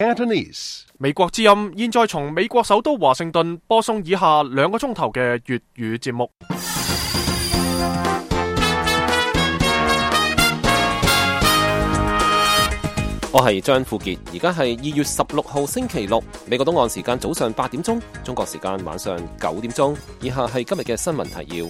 Cantonese。美國之音現在從美國首都華盛頓播送以下2個鐘頭嘅粵語節目。我係張富傑，而家係2月16號星期六，美國東岸時間早上8點鐘，中國時間晚上9點鐘。以下係今日嘅新聞提要。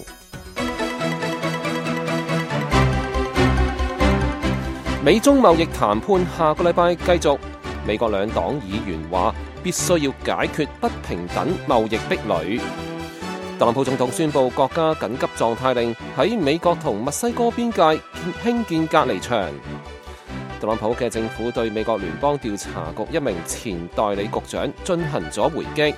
美中貿易談判下個禮拜繼續，美國兩黨議員話必須要解決不平等貿易壁壘。特朗普總統宣布國家緊急狀態令，喺美國同墨西哥邊界興建隔離牆。特朗普嘅政府對美國聯邦調查局一名前代理局長進行咗回擊。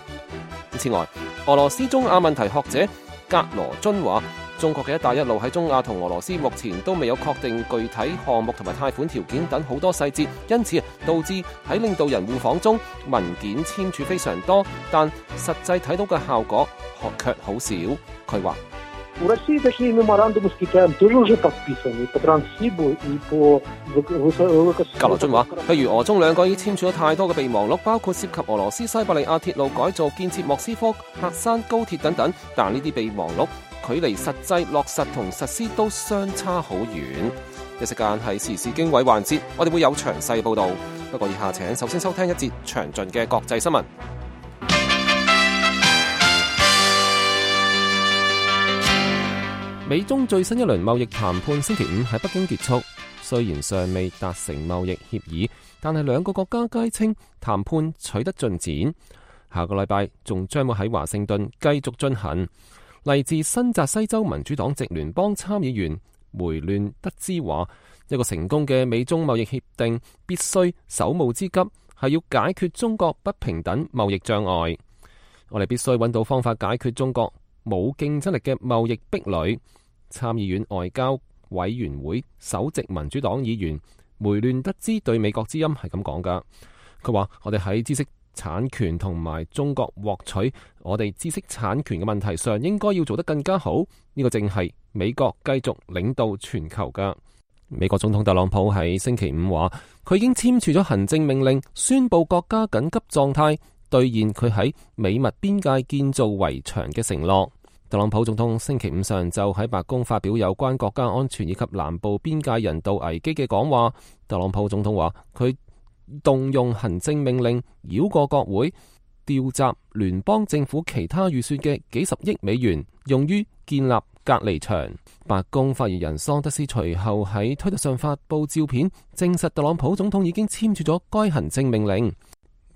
此外，俄羅斯中亞問題學者格羅津話，中國嘅一帶一路喺中亞同俄羅斯目前都未有確定具體項目同埋貸款條件等好多細節，因此導致喺領導人互訪中文件簽署非常多，但實際睇到嘅效果卻好少。佢話格羅津話，譬如俄中兩個已簽署咗太多嘅備忘錄，包括涉及俄羅斯西伯利亞鐵路改造、建設莫斯科喀山高鐵等等，但呢啲備忘錄距離實際落實同實施都相差好遠。一時間係時事經緯環節，我哋會有詳細報導。不過以下請首先收聽一節詳盡嘅國際新聞。美中最新一輪貿易談判星期五喺北京結束，雖然尚未達成貿易協議，但係兩個國家皆稱談判取得進展。下個禮拜仲將會喺華盛頓繼續進行。嚟自新澤西州民主黨籍聯邦參議員梅亂德茲話，一個成功嘅美中貿易協定必須手務之急係要解決中國不平等貿易障礙。我哋必須揾到方法解決中國冇競爭力嘅貿易壁壘。參議院外交委員會首席民主黨議員梅亂德茲對美國之音係咁講㗎。佢話，我哋喺知識產權同埋中國獲取我哋知識產權嘅問題上應該要做得更加好。呢個正係美國繼續領導全球㗎。美國總統特朗普喺星期五話，佢已經簽署咗行政命令，宣布國家緊急狀態，兌現佢喺美墨邊界建造圍牆嘅承諾。特朗普總統星期五上晝喺白宮發表有關國家安全以及南部邊界人道危機嘅講話。特朗普總統話，佢動用行政命令繞過國會，調集聯邦政府其他預算嘅幾十億美元，用於建立隔離牆。白宮發言人桑德斯隨後喺推特上發布照片，證實特朗普總統已經簽署咗該行政命令。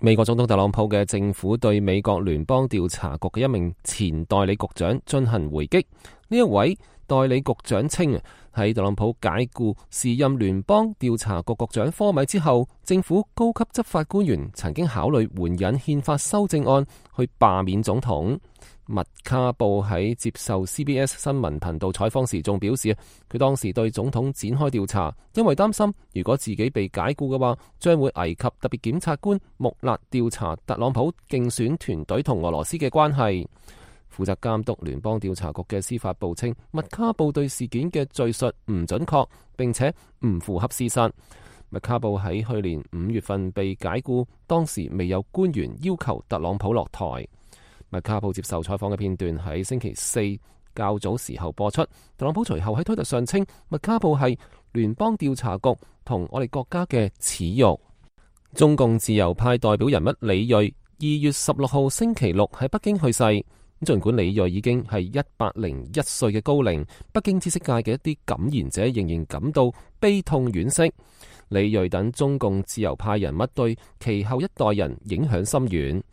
美國總統特朗普嘅政府對美國聯邦調查局嘅一名前代理局長進行回擊。呢一位代理局長稱，喺特朗普解僱時任聯邦調查局局長科米之後，政府高級執法官員曾經考慮援引憲法修正案去罷免總統。麥卡布喺接受 CBS 新聞頻道採訪時仲表示，佢當時對總統展開調查，因為擔心如果自己被解僱嘅話，將會危及特別檢察官穆勒調查特朗普競選團隊同俄羅斯嘅關係。負責監督聯邦調查局嘅司法部稱，麥卡布對事件嘅敘述唔準確，並且唔符合事實。麥卡布喺去年5月份被解僱，當時未有官員要求特朗普落台。麥卡布接受採訪嘅片段喺星期四較早時候播出。特朗普隨後喺推特上稱，麥卡布係聯邦調查局同我哋國家嘅恥辱。中共自由派代表人物李銳2月16號星期六喺北京去世。儘管李銳已經係101歲嘅高齡，北京知識界嘅一啲感言者仍然感到悲痛惋惜。李銳等中共自由派人物對其後一代人影響深遠。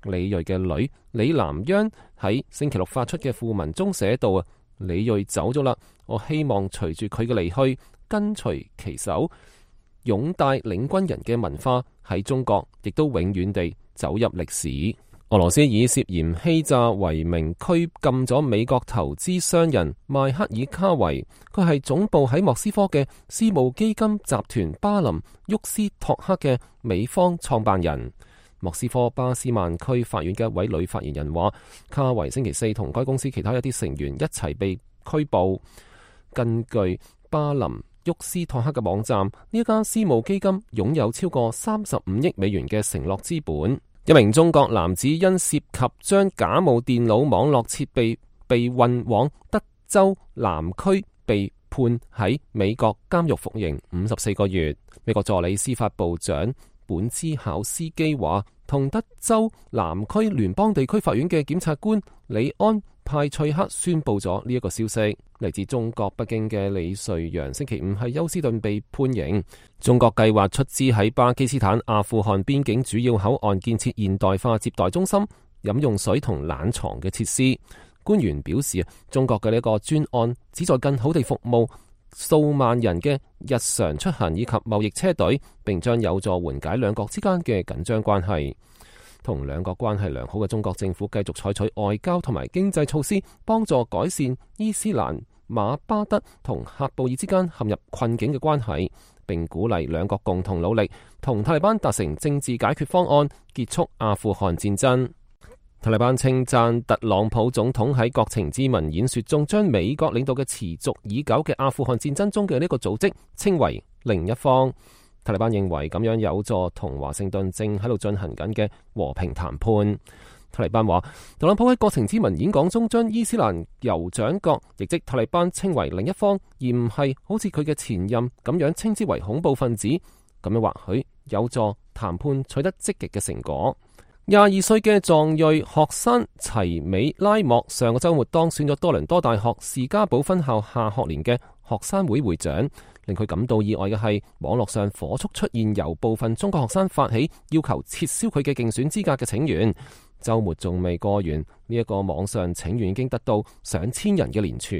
李銳嘅女李南央喺星期六發出嘅訃文中寫道：啊，李銳走咗啦，我希望隨住佢嘅離去，跟隨其手，擁戴領軍人嘅文化喺中國亦都永遠地走入歷史。俄羅斯以涉嫌欺詐為名拘禁咗美國投資商人邁克爾卡維，佢係總部喺莫斯科嘅私募基金集團巴林沃斯托克嘅美方創辦人。莫斯科巴斯曼區法院嘅一位女發言人話，卡維星期四同該公司其他一啲成員一齊被拘捕。根據巴林沃斯托克嘅網站，呢一家私募基金擁有超過35億美元嘅承諾資本。一名中國男子因涉及將假冒電腦網絡設備被運往德州南區，被判喺美國監獄服刑54個月。美國助理司法部長本茲考斯基話，同德州南區聯邦地區法院嘅檢察官里安派翠克宣布咗呢一個消息。嚟自中國北京嘅李瑞陽星期五喺休斯頓被判刑。中國計劃出資喺巴基斯坦、阿富汗邊境主要口岸建設現代化接待中心、飲用水同冷藏嘅設施。官員表示，中國嘅呢個專案旨在更好地服務數萬人嘅日常出行以及貿易車隊，並將有助緩解兩國之間嘅緊張關係。同兩國關係良好嘅中國政府繼續採取外交同埋經濟措施，幫助改善伊斯蘭馬巴德同喀布爾之間陷入困境嘅關係，並鼓勵兩國共同努力同塔利班達成政治解決方案，結束阿富汗戰爭。塔利班稱讚特朗普總統喺國情咨文演說中，將美國領導嘅持續已久嘅阿富汗戰爭中嘅呢個組織稱為另一方。塔利班認為咁樣有助同華盛頓正喺度進行緊嘅和平談判。塔利班話，特朗普喺國情咨文演講中將伊斯蘭酋長國，亦即塔利班稱為另一方，而唔係好似佢嘅前任咁樣稱之為恐怖分子。咁樣或許有助談判取得積極嘅成果。22歲嘅藏裔學生齊美拉莫上個週末當選咗多倫多大學士嘉堡分校下學年嘅學生會會長。令佢感到意外嘅係，網絡上火速出現由部分中國學生發起要求撤銷佢嘅競選資格嘅請願。週末仲未過完，呢一個網上請願已經得到上千人嘅聯署。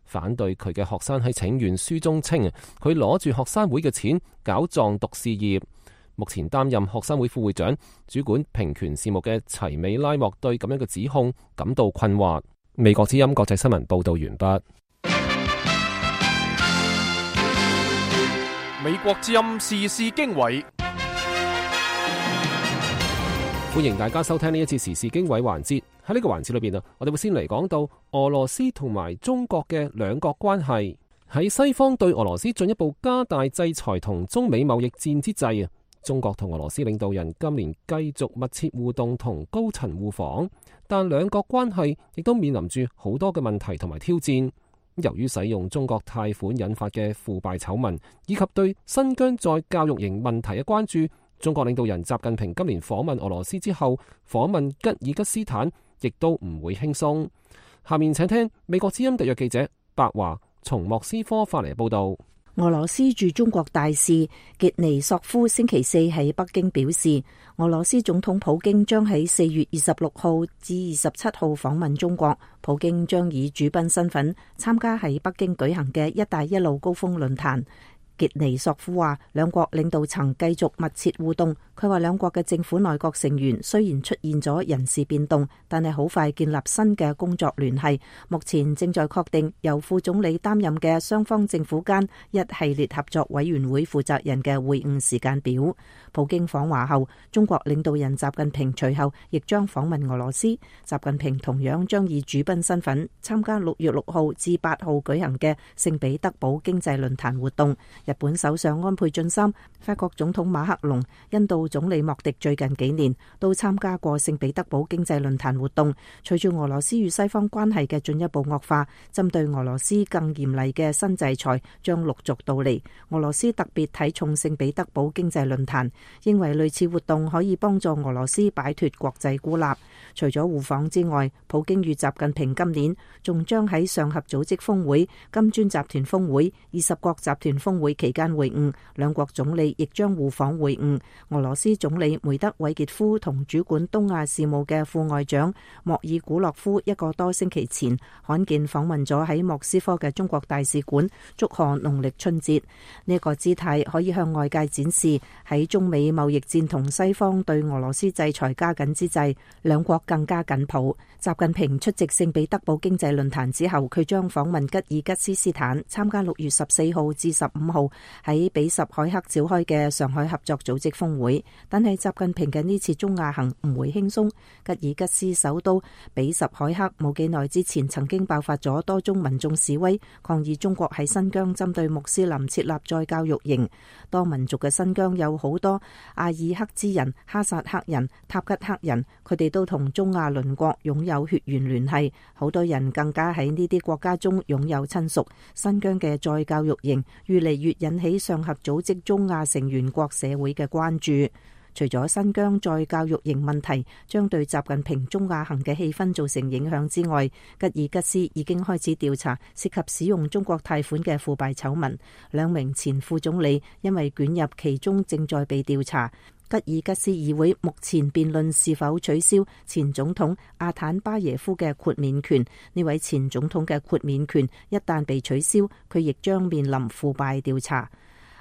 反對佢嘅學生喺請願書中稱，佢攞住學生會嘅錢搞藏獨事業。目前擔任學生會副會長、主管平權事務嘅齊美拉莫對咁樣嘅指控感到困惑。美國之音國際新聞報道完畢。美國之音時事經緯，歡迎大家收聽呢一次時事經緯環節。喺呢個環節裏邊我哋會先嚟講到俄羅斯同埋中國嘅兩國關係。喺西方對俄羅斯進一步加大制裁同中美貿易戰之際，中國同俄羅斯領導人今年繼續密切互動同高層互訪，但兩國關係亦都面臨住好多嘅問題同埋挑戰。由於使用中國貸款引發嘅腐敗醜聞，以及對新疆在教育營問題嘅關注，中國領導人習近平今年訪問俄羅斯之後，訪問吉爾吉斯坦亦都唔會輕鬆。下面請聽美國之音特約記者白華從莫斯科發嚟報道。俄羅斯駐中國大使傑尼索夫星期四喺北京表示，俄羅斯總統普京將喺4月26號至27號訪問中國。普京將以主賓身份參加喺北京舉行嘅「一帶一路」高峰論壇。傑尼索夫話，兩國領導層繼續密切互動。佢話兩國嘅政府內閣成員雖然出現咗人事變動，但係好快建立新嘅工作聯繫。目前正在確定由副總理擔任嘅雙方政府間一系列合作委員會負責人嘅會晤時間表。普京訪華後，中國領導人習近平隨後亦將訪問俄羅斯。習近平同樣將以主賓身份參加6月6號至8號舉行嘅聖彼得堡經濟論壇活動。日本首相安倍晉三、法國總統馬克龍、印度總理莫迪最近幾年都參加過聖彼得堡經濟論壇活動。隨住俄羅斯與西方關係嘅進一步惡化，針對俄羅斯更嚴厲嘅新制裁將陸續到嚟。俄羅斯特別睇重聖彼得堡經濟論壇，認為類似活動可以幫助俄羅斯擺脫國際孤立。除咗互訪之外，普京與習近平今年仲將喺上合組織峰會、金磚集團峰會、20國集團峰會期間會晤，兩國總理亦將互訪會晤。俄羅斯總理梅德韋傑夫同主管東亞事務嘅副外長莫爾古洛夫一個多星期前罕見訪問咗喺莫斯科嘅中國大使館，祝賀農曆春節。呢個姿態可以向外界展示喺中美貿易戰同西方對俄羅斯制裁加緊之際，兩國更加緊抱。習近平出席聖彼得堡經濟論壇之後，佢將訪問吉爾吉斯斯坦，參加6月14號至15號號喺比什凱克召開嘅上海合作組織峰會，但係習近平嘅呢次中亞行唔會輕鬆。吉爾吉斯首都比什凱克冇幾耐之前曾經爆發咗多宗民眾示威，抗議中國喺新疆針對穆斯林設立再教育營。多民族嘅新疆有好多阿爾克孜人、哈薩克人、塔吉克人，佢哋都同中亞鄰國擁有血緣聯繫，好多人更加喺呢啲國家中擁有親屬。新疆嘅再教育營越嚟越引起上合組織中亞成員國社會嘅關注。除咗新疆再教育營問題將對習近平中亞行嘅氣氛造成影響之外，吉爾吉斯已經開始調查涉及使用中國貸款嘅腐敗醜聞，兩名前副總理因為捲入其中正在被調查。吉爾吉斯議會目前辯論是否取消前總統阿坦巴耶夫嘅豁免權。呢位前總統嘅豁免權一旦被取消，佢亦將面臨腐敗調查。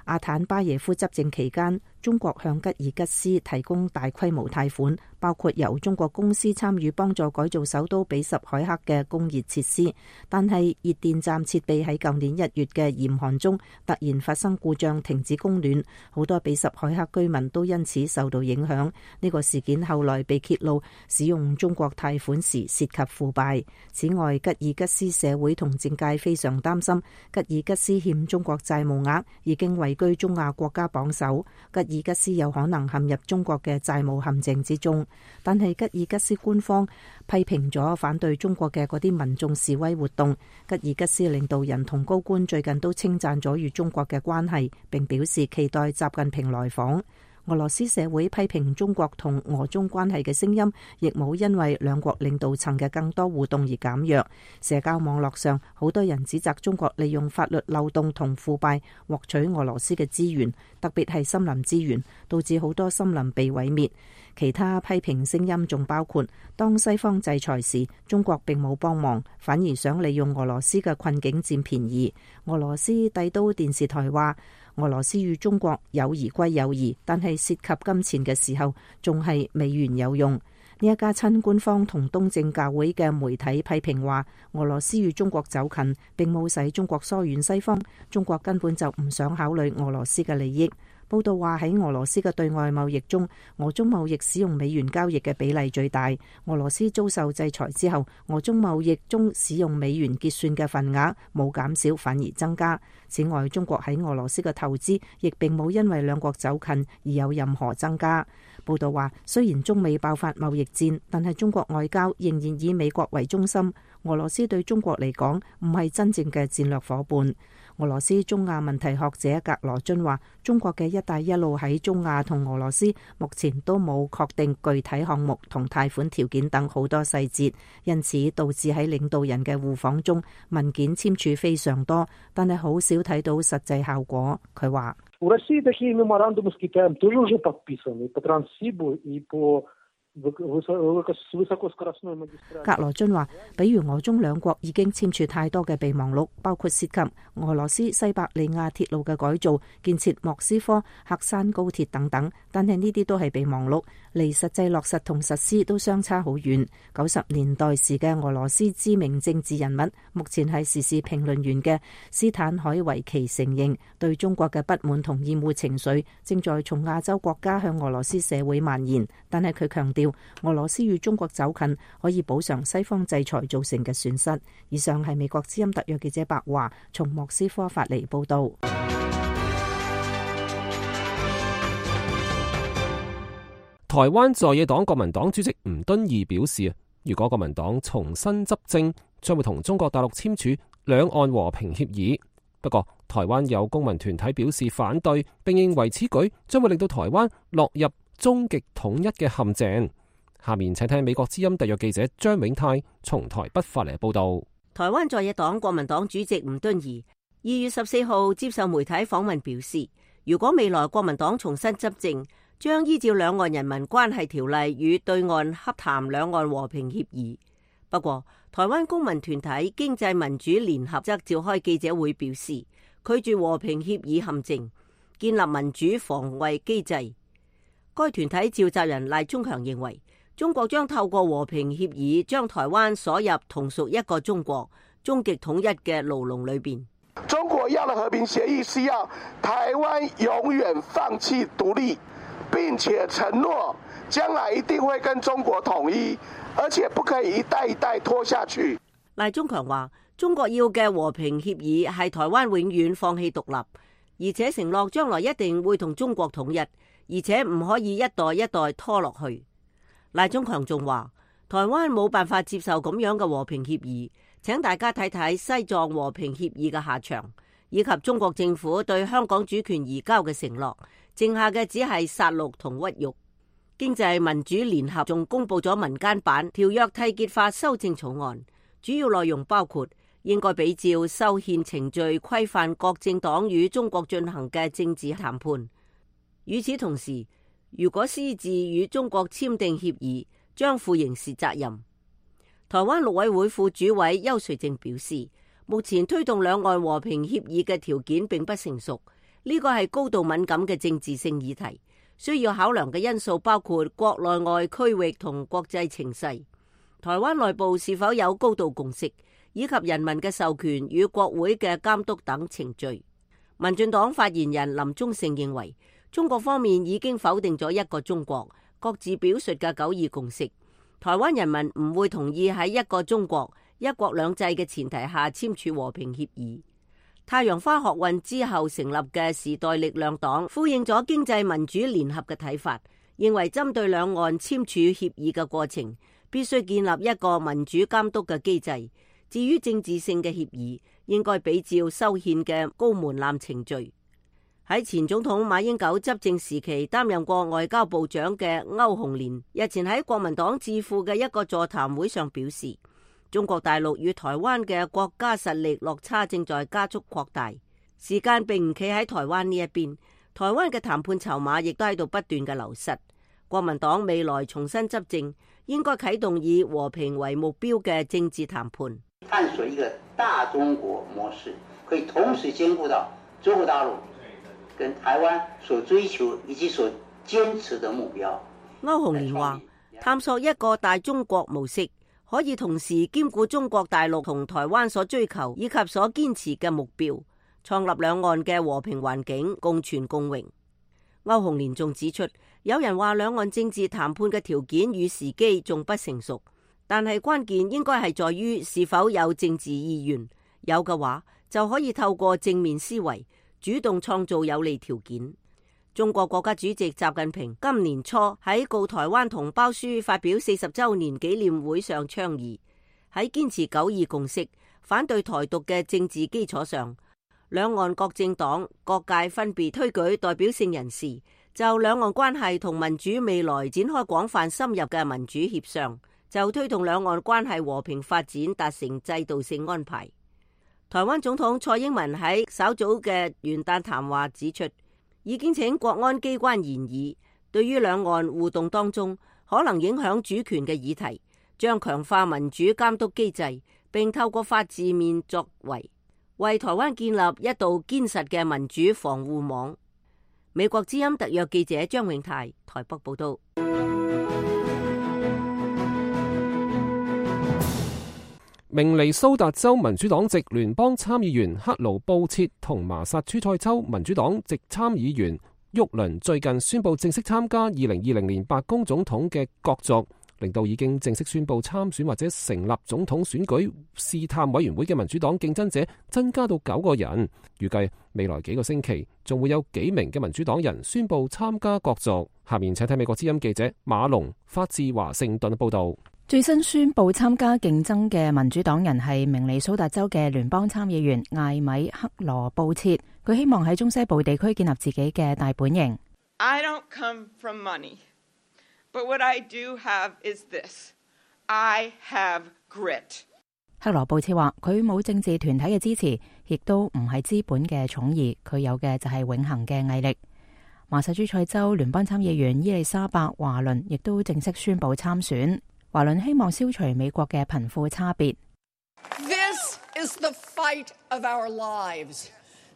阿坦巴耶夫執政期間，中國向吉爾吉斯提供大規模貸款，包括由中國公司參與幫助改造首都比什凱克嘅工業設施。但係熱電站設備喺舊年1月嘅嚴寒中突然發生故障，停止供暖，好多比什凱克居民都因此受到影響。呢個事件後來被揭露，使用中國貸款時涉及腐敗。此外，吉爾吉斯社會同政界非常擔心，吉爾吉斯欠中國債務額已經位居中亞國家榜首，吉爾吉斯有可能陷入中國嘅債務陷阱之中。但係吉爾吉斯官方批評咗反對中國嘅嗰啲民眾示威活動。吉爾吉斯領導人同高官最近都稱讚咗與中國嘅關係，並表示期待習近平來訪。俄羅斯社會批評中國同俄中關係嘅聲音，亦冇因為兩國領導層嘅更多互動而減弱。社交網絡上，好多人指責中國利用法律漏洞同腐敗獲取俄羅斯嘅資源，特別係森林資源，導致好多森林被毀滅。其他批評聲音仲包括，當西方制裁時，中國並冇幫忙，反而想利用俄羅斯嘅困境佔便宜。俄羅斯帝都電視台話，俄羅斯與中國友誼歸友誼，但係涉及金錢嘅時候，仲係美元有用。呢一家親官方同東正教會嘅媒體批評話，俄羅斯與中國走近，並冇使中國疏遠西方，中國根本就唔想考慮俄羅斯嘅利益。報道話，喺俄羅斯嘅對外貿易中，俄中貿易使用美元交易嘅比例最大。俄羅斯遭受制裁之後，俄中貿易中使用美元結算嘅份額冇減少，反而增加。此外，中國喺俄羅斯嘅投資亦並冇因為兩國走近而有任何增加。報道話，雖然中美爆發貿易戰，但係中國外交仍然以美國為中心。俄羅斯對中國嚟講唔係真正嘅戰略夥伴。俄羅斯中亞問題學者格羅津話，中國嘅一帶一路喺中亞同俄羅斯目前都冇確定具體項目同貸款條件等好多細節，因此導致喺領導人嘅互訪中，文件簽署非常多，但係好少睇到實際效果。佢話，格羅津話，比如俄中兩國已經簽署太多嘅備忘錄，包括涉及俄羅斯西伯利亞鐵路嘅改造、建設莫斯科喀山高鐵等等，但係呢啲都係備忘錄，離實際落實同實施都相差好遠。90年代時嘅俄羅斯知名政治人物，目前係時事評論員嘅斯坦海維奇承認，對中國嘅不滿同厭惡情緒正在從亞洲國家向俄羅斯社會蔓延，但係佢強調，俄羅斯與中國走近可以補償西方制裁造成嘅損失。以上係美國之音特約記者白華從莫斯科發嚟報道。台灣在野黨國民黨主席吳敦義表示，如果國民黨重新執政，將會同中國大陸簽署兩岸和平協議。不過，台灣有公民團體表示反對，並認為此舉將會令到台灣落入終極統一嘅陷阱。下面請聽美國之音特約記者張永泰從台北發嚟報道。台灣在野黨國民黨主席吳敦義2月14號接受媒體訪問表示，如果未來國民黨重新執政，將依照兩岸人民關係條例與對岸洽談兩岸和平協議。不過，台灣公民團體經濟民主聯合則召開記者會表示，拒絕和平協議陷阱，建立民主防衛機制。該團體召集人賴中強認為，中國將透過和平協議將台灣鎖入同屬一個中國、終極統一嘅牢籠裏邊。中中國要的和平協議是要台灣永遠放棄獨立，並且承諾將來一定會跟中國統一，而且不可以一代一代拖下去。賴中強話，中國要嘅和平協議係台灣永遠放棄獨立，而且承諾將來一定會同中國統一，而且唔可以一代一代拖落去。賴中強仲話，台灣冇辦法接受咁樣嘅和平協議，請大家睇睇西藏和平協議嘅下場，以及中國政府對香港主權移交嘅承諾，剩下嘅只係殺戮同屈辱。經濟民主聯合仲公布咗民間版條約締結法修正草案，主要內容包括應該比照修憲程序規範各政黨與中國進行嘅政治談判。與此同時，如果私自與中國簽訂協議，將負刑事責任。台灣陸委會副主委邱垂正表示，目前推動兩岸和平協議嘅條件並不成熟，呢個係高度敏感嘅政治性議題，需要考量嘅因素包括國內外區域同國際情勢，台灣內部是否有高度共識，以及人民嘅授權與國會嘅監督等程序。民進黨發言人林忠勝認為，中國方面已經否定咗一個中國，各自表述嘅九二共識，台灣人民唔會同意喺一個中國、一國兩制嘅前提下簽署和平協議。太陽花學運之後成立嘅時代力量黨呼應咗經濟民主聯合嘅睇法，認為針對兩岸簽署協議嘅過程，必須建立一個民主監督嘅機制。至於政治性嘅協議，應該比照修憲嘅高門檻程序。喺前總統馬英九執政時期擔任過外交部長嘅歐鴻連日前喺國民黨智庫嘅一個座談會上表示，中國大陸與台灣嘅國家實力落差正在加速擴大，時間並唔企喺台灣呢一邊，台灣嘅談判籌碼亦都喺度不斷嘅流失。國民黨未來重新執政，應該啟動以和平為目標嘅政治談判，探索一個大中國模式，可以同時兼顧到中國大陸跟台灣所追求以及所堅持的目標。歐鴻連話，探索一個大中國模式，可以同時兼顧中國大陸同台灣所追求以及所堅持嘅目標，創立兩岸嘅和平環境，共存共榮。歐鴻連仲指出，有人話兩岸政治談判嘅條件與時機仲不成熟，但係關鍵應該係在於是否有政治意願，有嘅話就可以透過正面思維主動創造有利條件。中國國家主席習近平今年初喺告台灣同胞書發表40週年紀念會上倡議，喺堅持九二共識、反對台獨嘅政治基礎上，兩岸各政黨各界分別推舉代表性人士，就兩岸關係同民主未來展開廣泛深入嘅民主協商，就推動兩岸關係和平發展達成制度性安排。台灣總統蔡英文喺稍早嘅元旦談話指出，已經請國安機關研議，對於兩岸互動當中可能影響主權嘅議題，將強化民主監督機制，並透過法治面作為，為台灣建立一道堅實嘅民主防護網。美國之音特約記者張永泰台北報道。明尼蘇達州民主黨籍聯邦參議員克勞布切同麻薩諸塞州民主黨籍參議員沃倫最近宣布正式參加2020年白宮總統嘅角逐，令到已經正式宣布參選或者成立總統選舉試探委員會嘅民主黨競爭者增加到9個人。預計未來幾個星期仲會有幾名嘅民主黨人宣布參加角逐。下面請睇美國之音記者馬龍發自華盛頓報道。最新宣布參加競爭嘅民主黨人係明尼蘇達州嘅聯邦參議員艾米克羅布切，佢希望喺中西部地區建立自己嘅大本營。I don't come from money, but what I do have is this. I have grit. 克羅布切話佢冇政治團體嘅支持，亦都唔係資本嘅寵兒，佢有嘅就係永恆嘅毅力。麻薩諸塞州聯邦參議員伊麗莎白華倫亦都正式宣布參選。華倫希望消除美國嘅貧富差別。This is the fight of our lives.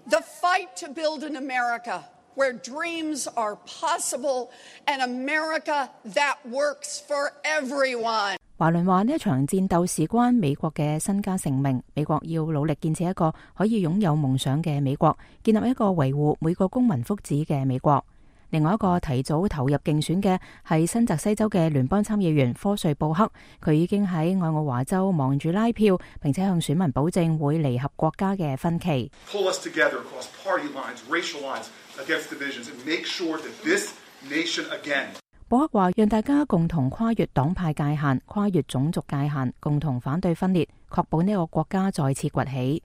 The fight to build an America where dreams are possible and America that works for everyone. 華倫話呢一場戰鬥事關美國嘅身家性命，美國要努力建設一個可以擁有夢想嘅美國，建立一個維護每個公民福祉嘅美國。另外一個提早投入競選嘅係新澤西州嘅聯邦參議員科瑞布克，佢已經喺愛奧華州忙住拉票，並且向選民保證會彌合國家嘅分歧。Pull us together across party lines, racial lines, against divisions, and make sure that this nation again. 布克話：讓大家共同跨越黨派界限、跨越種族界限，共同反對分裂，確保呢個國家再次崛起。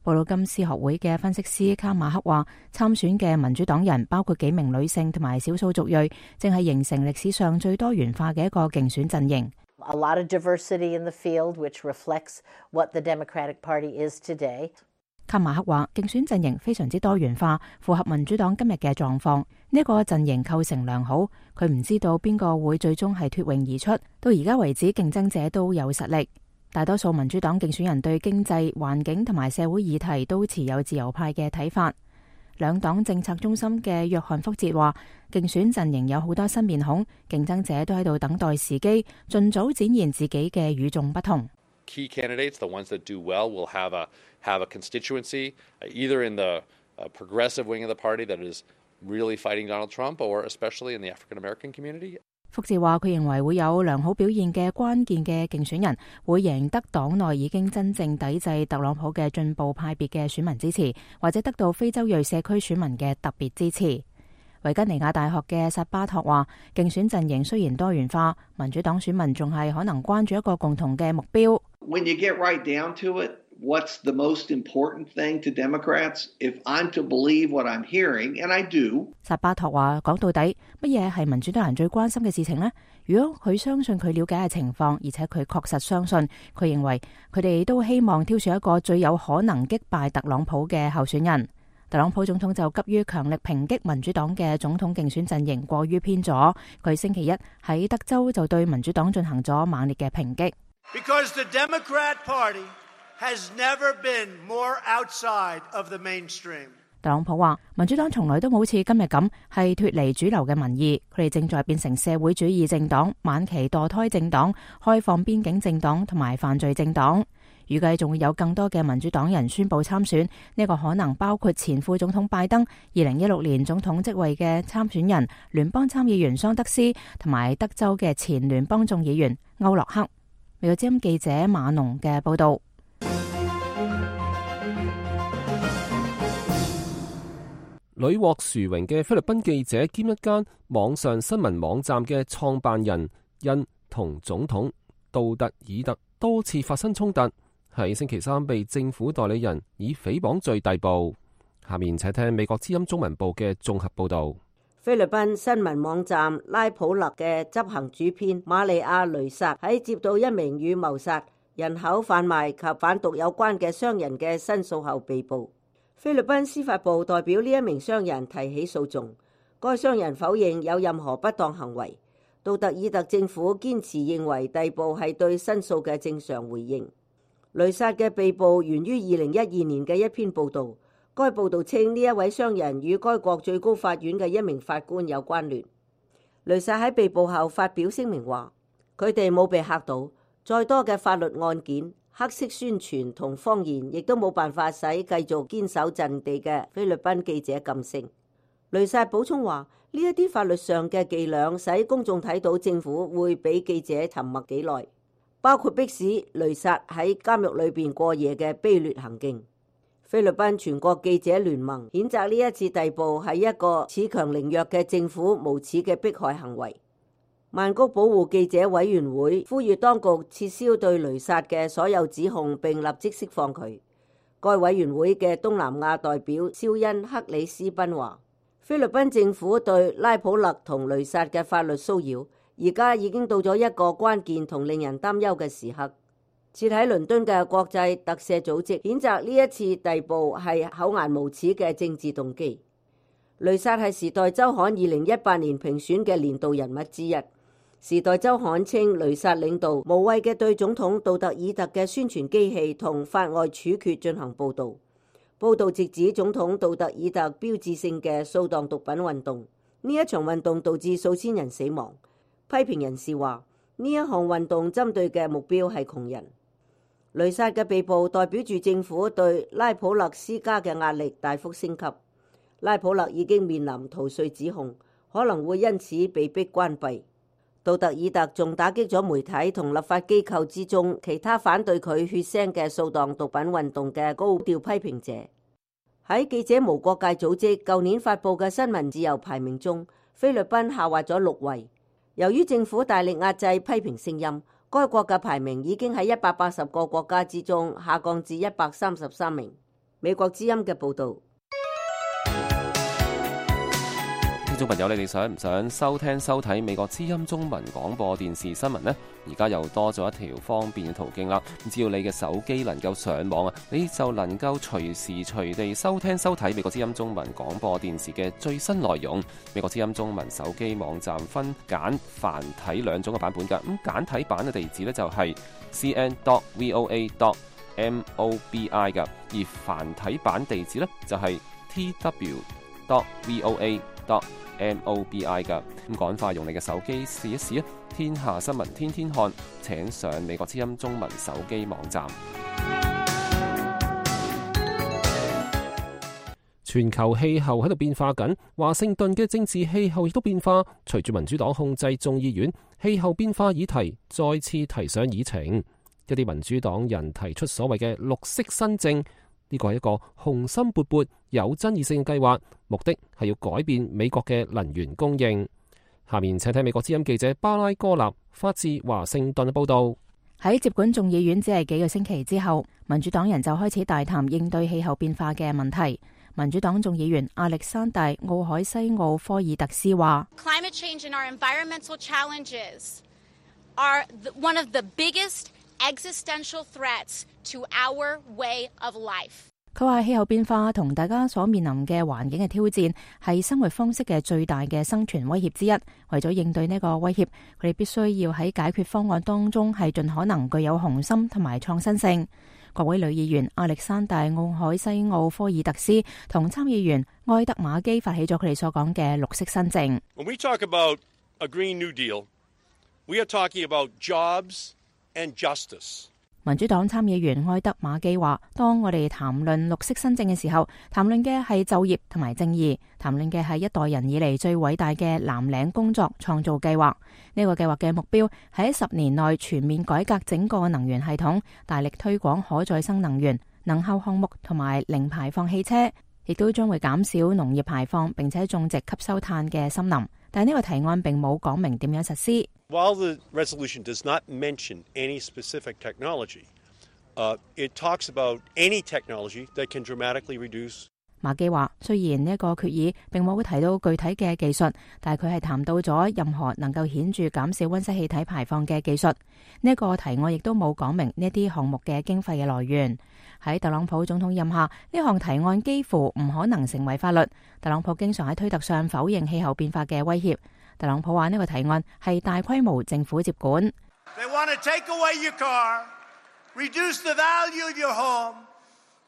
布魯金斯學會嘅分析師卡馬克話：參選嘅民主黨人包括幾名女性同埋少數族裔，正係形成歷史上最多元化嘅一個競選陣營。A lot of diversity in the field, which reflects what the Democratic Party is today. 卡馬克話：競選陣營非常之多元化，符合民主黨今日嘅狀況。呢個陣營構成良好。佢唔知道邊個會最終係脫穎而出。到而家為止，競爭者都有實力。大多數民主黨競選人對經濟、環境同埋社會議題都持有自由派嘅睇法。兩黨政策中心嘅約翰福哲話：競選陣營有好多新面孔，競爭者都喺度等待時機，盡早展現自己嘅與眾不同。Key candidates, the ones that do well, will have a constituency, either in the progressive wing of the party that is really fighting Donald Trump, or especially in the African American community. 福治話：佢認為會有良好表現嘅關鍵嘅競選人會贏得黨內已經真正抵制特朗普嘅進步派別嘅選民支持，或者得到非洲裔社區選民嘅特別支持。維吉尼亞大學嘅薩巴托話：競選陣營雖然多元化，民主黨選民仲係可能關注一個共同嘅目標。When you get right down to it, what's the most important thing to Democrats? If I'm to believe what I'm hearing, and I do. 薩巴托話：講到底，乜嘢係民主黨人最關心嘅事情呢？如果佢相信佢了解嘅情況，而且佢確實相信，佢認為佢哋都希望挑選一個最有可能擊敗特朗普嘅候選人。特朗普總統就急於強力抨擊民主黨嘅總統競選陣營過於偏左。佢星期一喺德州就對民主黨進行咗猛烈嘅抨擊。Because the Democrat Party has never been more outside of the mainstream. 特朗普話：民主黨從來都冇似今日咁係脫離主流嘅民意，佢哋正在變成社會主義政黨、晚期墮胎政黨、開放邊境政黨同埋犯罪政黨。預計仲會有更多嘅民主黨人宣佈參選，呢個可能包括前副總統拜登、2016年總統職位嘅參選人聯邦參議員桑德斯同埋德州嘅前聯邦眾議員歐洛克。美國之音記者馬農嘅報道。屢獲殊榮嘅菲律賓記者兼一間網上新聞網站嘅創辦人，因同總統杜特爾特多次發生衝突，喺星期三被政府代理人以誹謗罪逮捕。下面請聽美國之音中文部嘅綜合報道。菲律賓新聞網站拉普勒嘅執行主編瑪利亞雷薩喺接到一名與謀殺、人口販賣及販毒有關嘅商人嘅申訴後被捕。菲律賓司法部代表呢一名商人提起訴訟，該商人否認有任何不當行為。杜特爾特政府堅持認為逮捕係對申訴嘅正常回應。雷薩嘅被捕源於2012年嘅一篇報導。該報道稱呢一位商人與該國最高法院嘅一名法官有關聯。雷薩喺被捕後發表聲明話：佢哋冇被嚇到，再多嘅法律案件、黑色宣傳同謊言，亦都冇辦法使繼續堅守陣地嘅菲律賓記者噤聲。雷薩補充話：呢一啲法律上嘅伎倆使公眾睇到政府會俾記者沉默幾耐，包括迫使雷薩喺監獄裏邊過夜嘅卑劣行徑。菲律賓全國記者聯盟譴責呢一次逮捕係一個恃強凌弱嘅政府無恥嘅迫害行為。曼谷保護記者委員會呼籲當局撤銷對雷薩嘅所有指控，並立即釋放佢。該委員會嘅東南亞代表肖恩克里斯賓話：菲律賓政府對拉普勒同雷薩嘅法律騷擾，而家已經到咗一個關鍵同令人擔憂嘅時刻。設喺倫敦嘅國際特赦組織譴責呢一次逮捕係厚顏無恥嘅政治動機。雷薩係時代週刊2018年評選嘅年度人物之一。時代週刊稱雷薩領導無謂嘅對總統杜特爾特嘅宣傳機器同法外處決進行報導。報導直指總統杜特爾特標誌性嘅掃蕩毒品運動。呢一場運動導致數千人死亡。批評人士話：呢一項運動針對嘅目標係窮人。雷薩嘅被捕代表住政府對拉普勒施加嘅壓力大幅升級。拉普勒已經面臨逃稅指控，可能會因此被迫關閉。杜特爾特仲打擊咗媒體同立法機構之中其他反對佢血腥嘅掃蕩毒品運動嘅高調批評者。喺記者無國界組織舊年發佈嘅新聞自由排名中，菲律賓下滑咗6位。由於政府大力壓制批評聲音，該國嘅排名已經喺180個國家之中下降至133名。美國之音嘅報導。聽眾朋友，你哋想唔想收聽收睇美國之音中文廣播電視新聞呢？而家又多咗一條方便嘅途徑啦。只要你嘅手機能夠上網啊，你就能夠隨時隨地收聽收睇美國之音中文廣播電視嘅最新內容。美國之音中文手機網站分簡繁體兩種嘅版本㗎。咁簡體版嘅地址呢，就係 cn.voa.mobi 㗎，而繁體版地址呢，就係 tw.voa.mobi 噶。咁趕快用你嘅手機試一試啊！天下新聞天天看，請上美國之音中文手機網站。全球氣候喺度變化緊，華盛頓嘅政治氣候亦都變化。隨住民主黨控制眾議院，氣候變化議題再次提上議程。一啲民主黨人提出所謂嘅綠色新政。呢個係一個雄心勃勃、有爭議性嘅計劃，目的係要改變美國嘅能源供應。下面請睇美國之音記者巴拉哥納發自華盛頓嘅報道。喺接管眾議院只係幾個星期之後，民主黨人就開始大談應對氣候變化嘅問題。民主黨眾議員亞歷山大·奧海西奧科爾特斯話 ：Climate change and our environmental challenges are one of the biggest existential threats to our way of life。佢話氣候變化同大家所面臨嘅環境嘅挑戰係生活方式嘅最大嘅生存威脅之一。為咗應對呢個威脅，佢哋必須要喺解決方案當中係盡可能具有雄心同埋創新性。國會女議員亞歷山大·奧海西奧科爾特斯同參議員埃德馬基發起咗佢哋所講嘅綠色新政。When we talk about a Green New Deal, we are talking about jobs and justice。民主黨參議員埃德馬基話：當我哋談論綠色新政嘅時候，談論嘅係就業同埋正義，談論嘅係一代人以嚟最偉大嘅藍領工作創造計劃。呢個計劃嘅目標係喺10年內全面改革整個能源系統，大力推廣可再生能源、能效項目同埋零排放汽車，亦都將會減少農業排放，並且種植吸收碳嘅森林。但係呢個提案並冇講明點樣實施。While the resolution does not mention any specific technology, it talks about any technology that can dramatically reduce。馬基話：雖然呢一個決議並冇提到具體嘅技術，但係佢係談到咗任何能夠顯著減少溫室氣體排放嘅技術。呢一個提案亦都冇講明呢啲項目嘅經費嘅來源。喺特朗普總統任下，呢項提案幾乎唔可能成為法律。特朗普經常喺推特上否認氣候變化嘅威脅。特朗普話呢個提案係大規模政府接管。They want to take away your car, reduce the value of your home,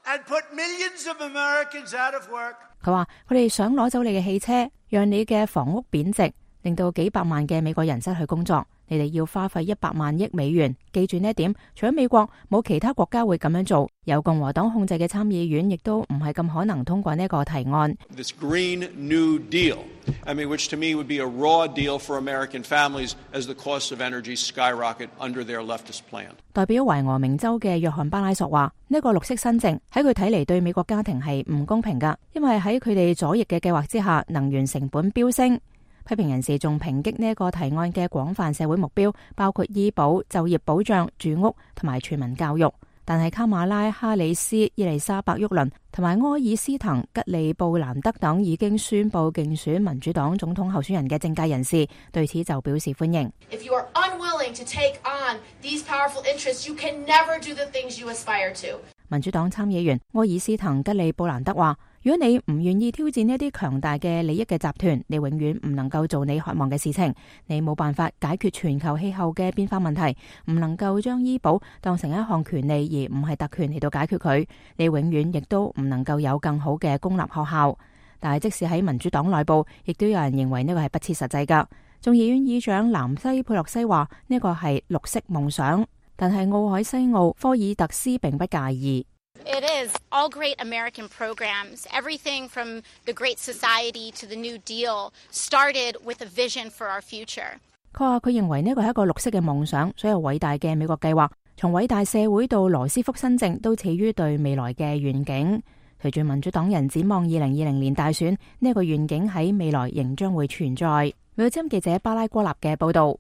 and put millions of Americans out of work。佢話佢哋想攞走你嘅汽車，讓你嘅房屋貶值，令到幾百萬嘅美國人失去工作。你哋要花費100萬億美元。記住呢一點，除咗美國，冇其他國家會咁樣做。由共和黨控制嘅參議院亦都唔係咁可能通過呢個提案。This Green New Deal, I mean, which to me would be a raw deal for American families as the costs of energy skyrocket under their leftist plan。代表懷俄明州嘅約翰巴拉索話：呢個綠色新政喺佢睇嚟對美國家庭係唔公平㗎，因為喺佢哋左翼嘅計劃之下，能源成本飆升。批評人士仲抨擊呢一個提案嘅廣泛社會目標，包括醫保、就業保障、住屋同埋全民教育。但係卡馬拉、哈里斯、伊麗莎白·沃倫同埋柯爾斯滕、吉利布蘭德等已經宣布競選民主黨總統候選人嘅政界人士對此就表示歡迎。If you are unwilling to take on these powerful interests, you can never do the things you aspire to。民主黨參議員柯爾斯滕吉利布蘭德話：如果你唔願意挑戰呢一啲強大嘅利益嘅集團，你永遠唔能夠做你渴望嘅事情。你冇辦法解決全球氣候嘅變化問題，唔能夠將醫保當成一項權利而唔係特權嚟到解決佢。你永遠亦都唔能夠有更好嘅公立學校。但係即使喺民主黨內部，亦都有人認為呢個係不切實際㗎。眾議院議長南西佩洛西話呢個係綠色夢想，但係奧海西奧科爾特斯並不介意。It is all great American programs. Everything from the Great Society to the New Deal started with a vision for our future. 佢話佢認為呢個係一個綠色嘅夢想，所有偉大嘅美國計劃，從偉大社會到羅斯福新政，都始於對未來嘅願景。隨住民主黨人展望2020年大選，呢個願景喺未來仍將會存在。美國之音記者巴拉戈納嘅報道。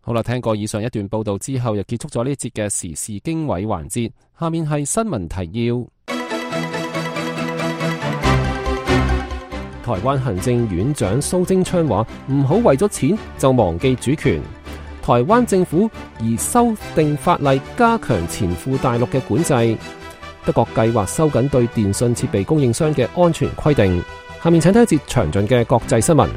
好啦，聽過以上一段報道之後，又結束咗呢一節嘅時事經緯環節。下面係新聞提要。台灣行政院長蘇貞昌話：唔好為咗錢就忘記主權。台灣政府而修訂法例加強前赴大陸嘅管制。德國計劃收緊對電信設備供應商嘅安全規定。下面請睇一節詳盡嘅國際新聞。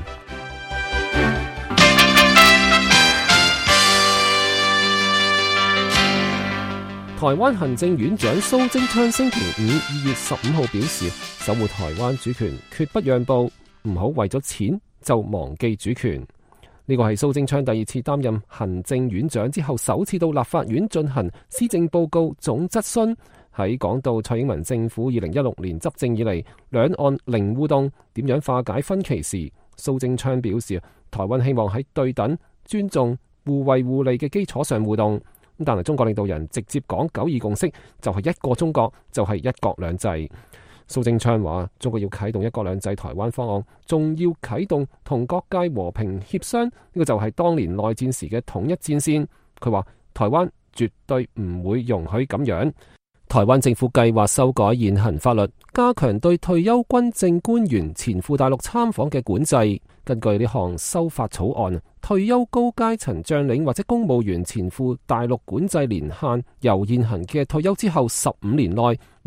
台灣行政院長蘇貞昌星期五2月15號表示，守護台灣主權決不讓步，唔好為咗錢就忘記主權。呢個係蘇貞昌第二次擔任行政院長之後首次到立法院進行施政報告總質詢。喺講到蔡英文政府2016年執政以嚟兩岸零互動，點樣化解分歧時，蘇貞昌表示，台灣希望喺對等、尊重、互惠互利嘅基礎上互動。但係中國領導人直接講9·2共識，就係一個中國，就係一國兩制。蘇貞昌話：中國要啟動一國兩制台灣方案，仲要啟動同各界和平協商，呢個就係當年內戰時嘅統一戰線。佢話：台灣絕對唔會容許咁樣。台灣政府計劃修改現行法律，加強對退休軍政官員前赴大陸參訪嘅管制。根據呢項修法草案，退休高階層將領或者公務員前赴大陸管制年限由現行嘅退休之後15年內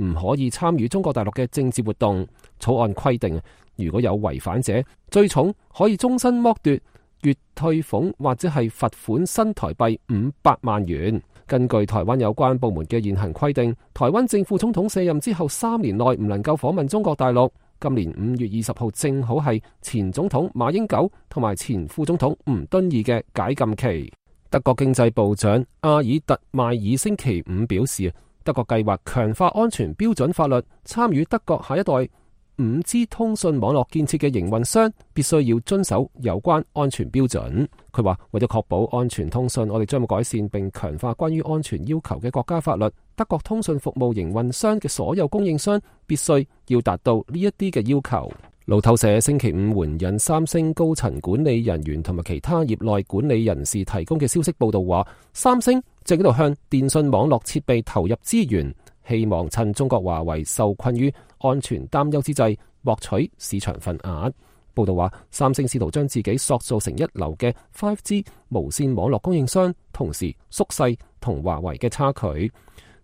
唔可以參與中國大陸嘅政治活動。草案規定，如果有違反者，最重可以終身剝奪月退俸或者係罰款新台幣500萬元。根據台灣有關部門嘅現行規定，台灣正副總統卸任之後3年內唔能夠訪問中國大陸。今年5月20號正好係前總統馬英九同埋前副總統吳敦義嘅解禁期。德國經濟部長阿爾特邁爾星期五表示，德國計劃強化安全標準法律，參與德國下一代5G 通訊網絡建設嘅營運商必須要遵守有關安全標準。佢話，為咗確保安全通訊，我哋將會改善並強化關於安全要求嘅國家法律。德國通訊服務營運商嘅所有供應商必須要達到呢一啲嘅要求。路透社星期五援引三星高層管理人員同埋其他業內管理人士提供嘅消息報道話，三星正喺度向電信網絡設備投入資源，希望趁中國華為受困於安全擔憂之際獲取市場份額。報道話，三星試圖將自己塑造成一流嘅 5G 無線網絡供應商，同時縮細同華為嘅差距。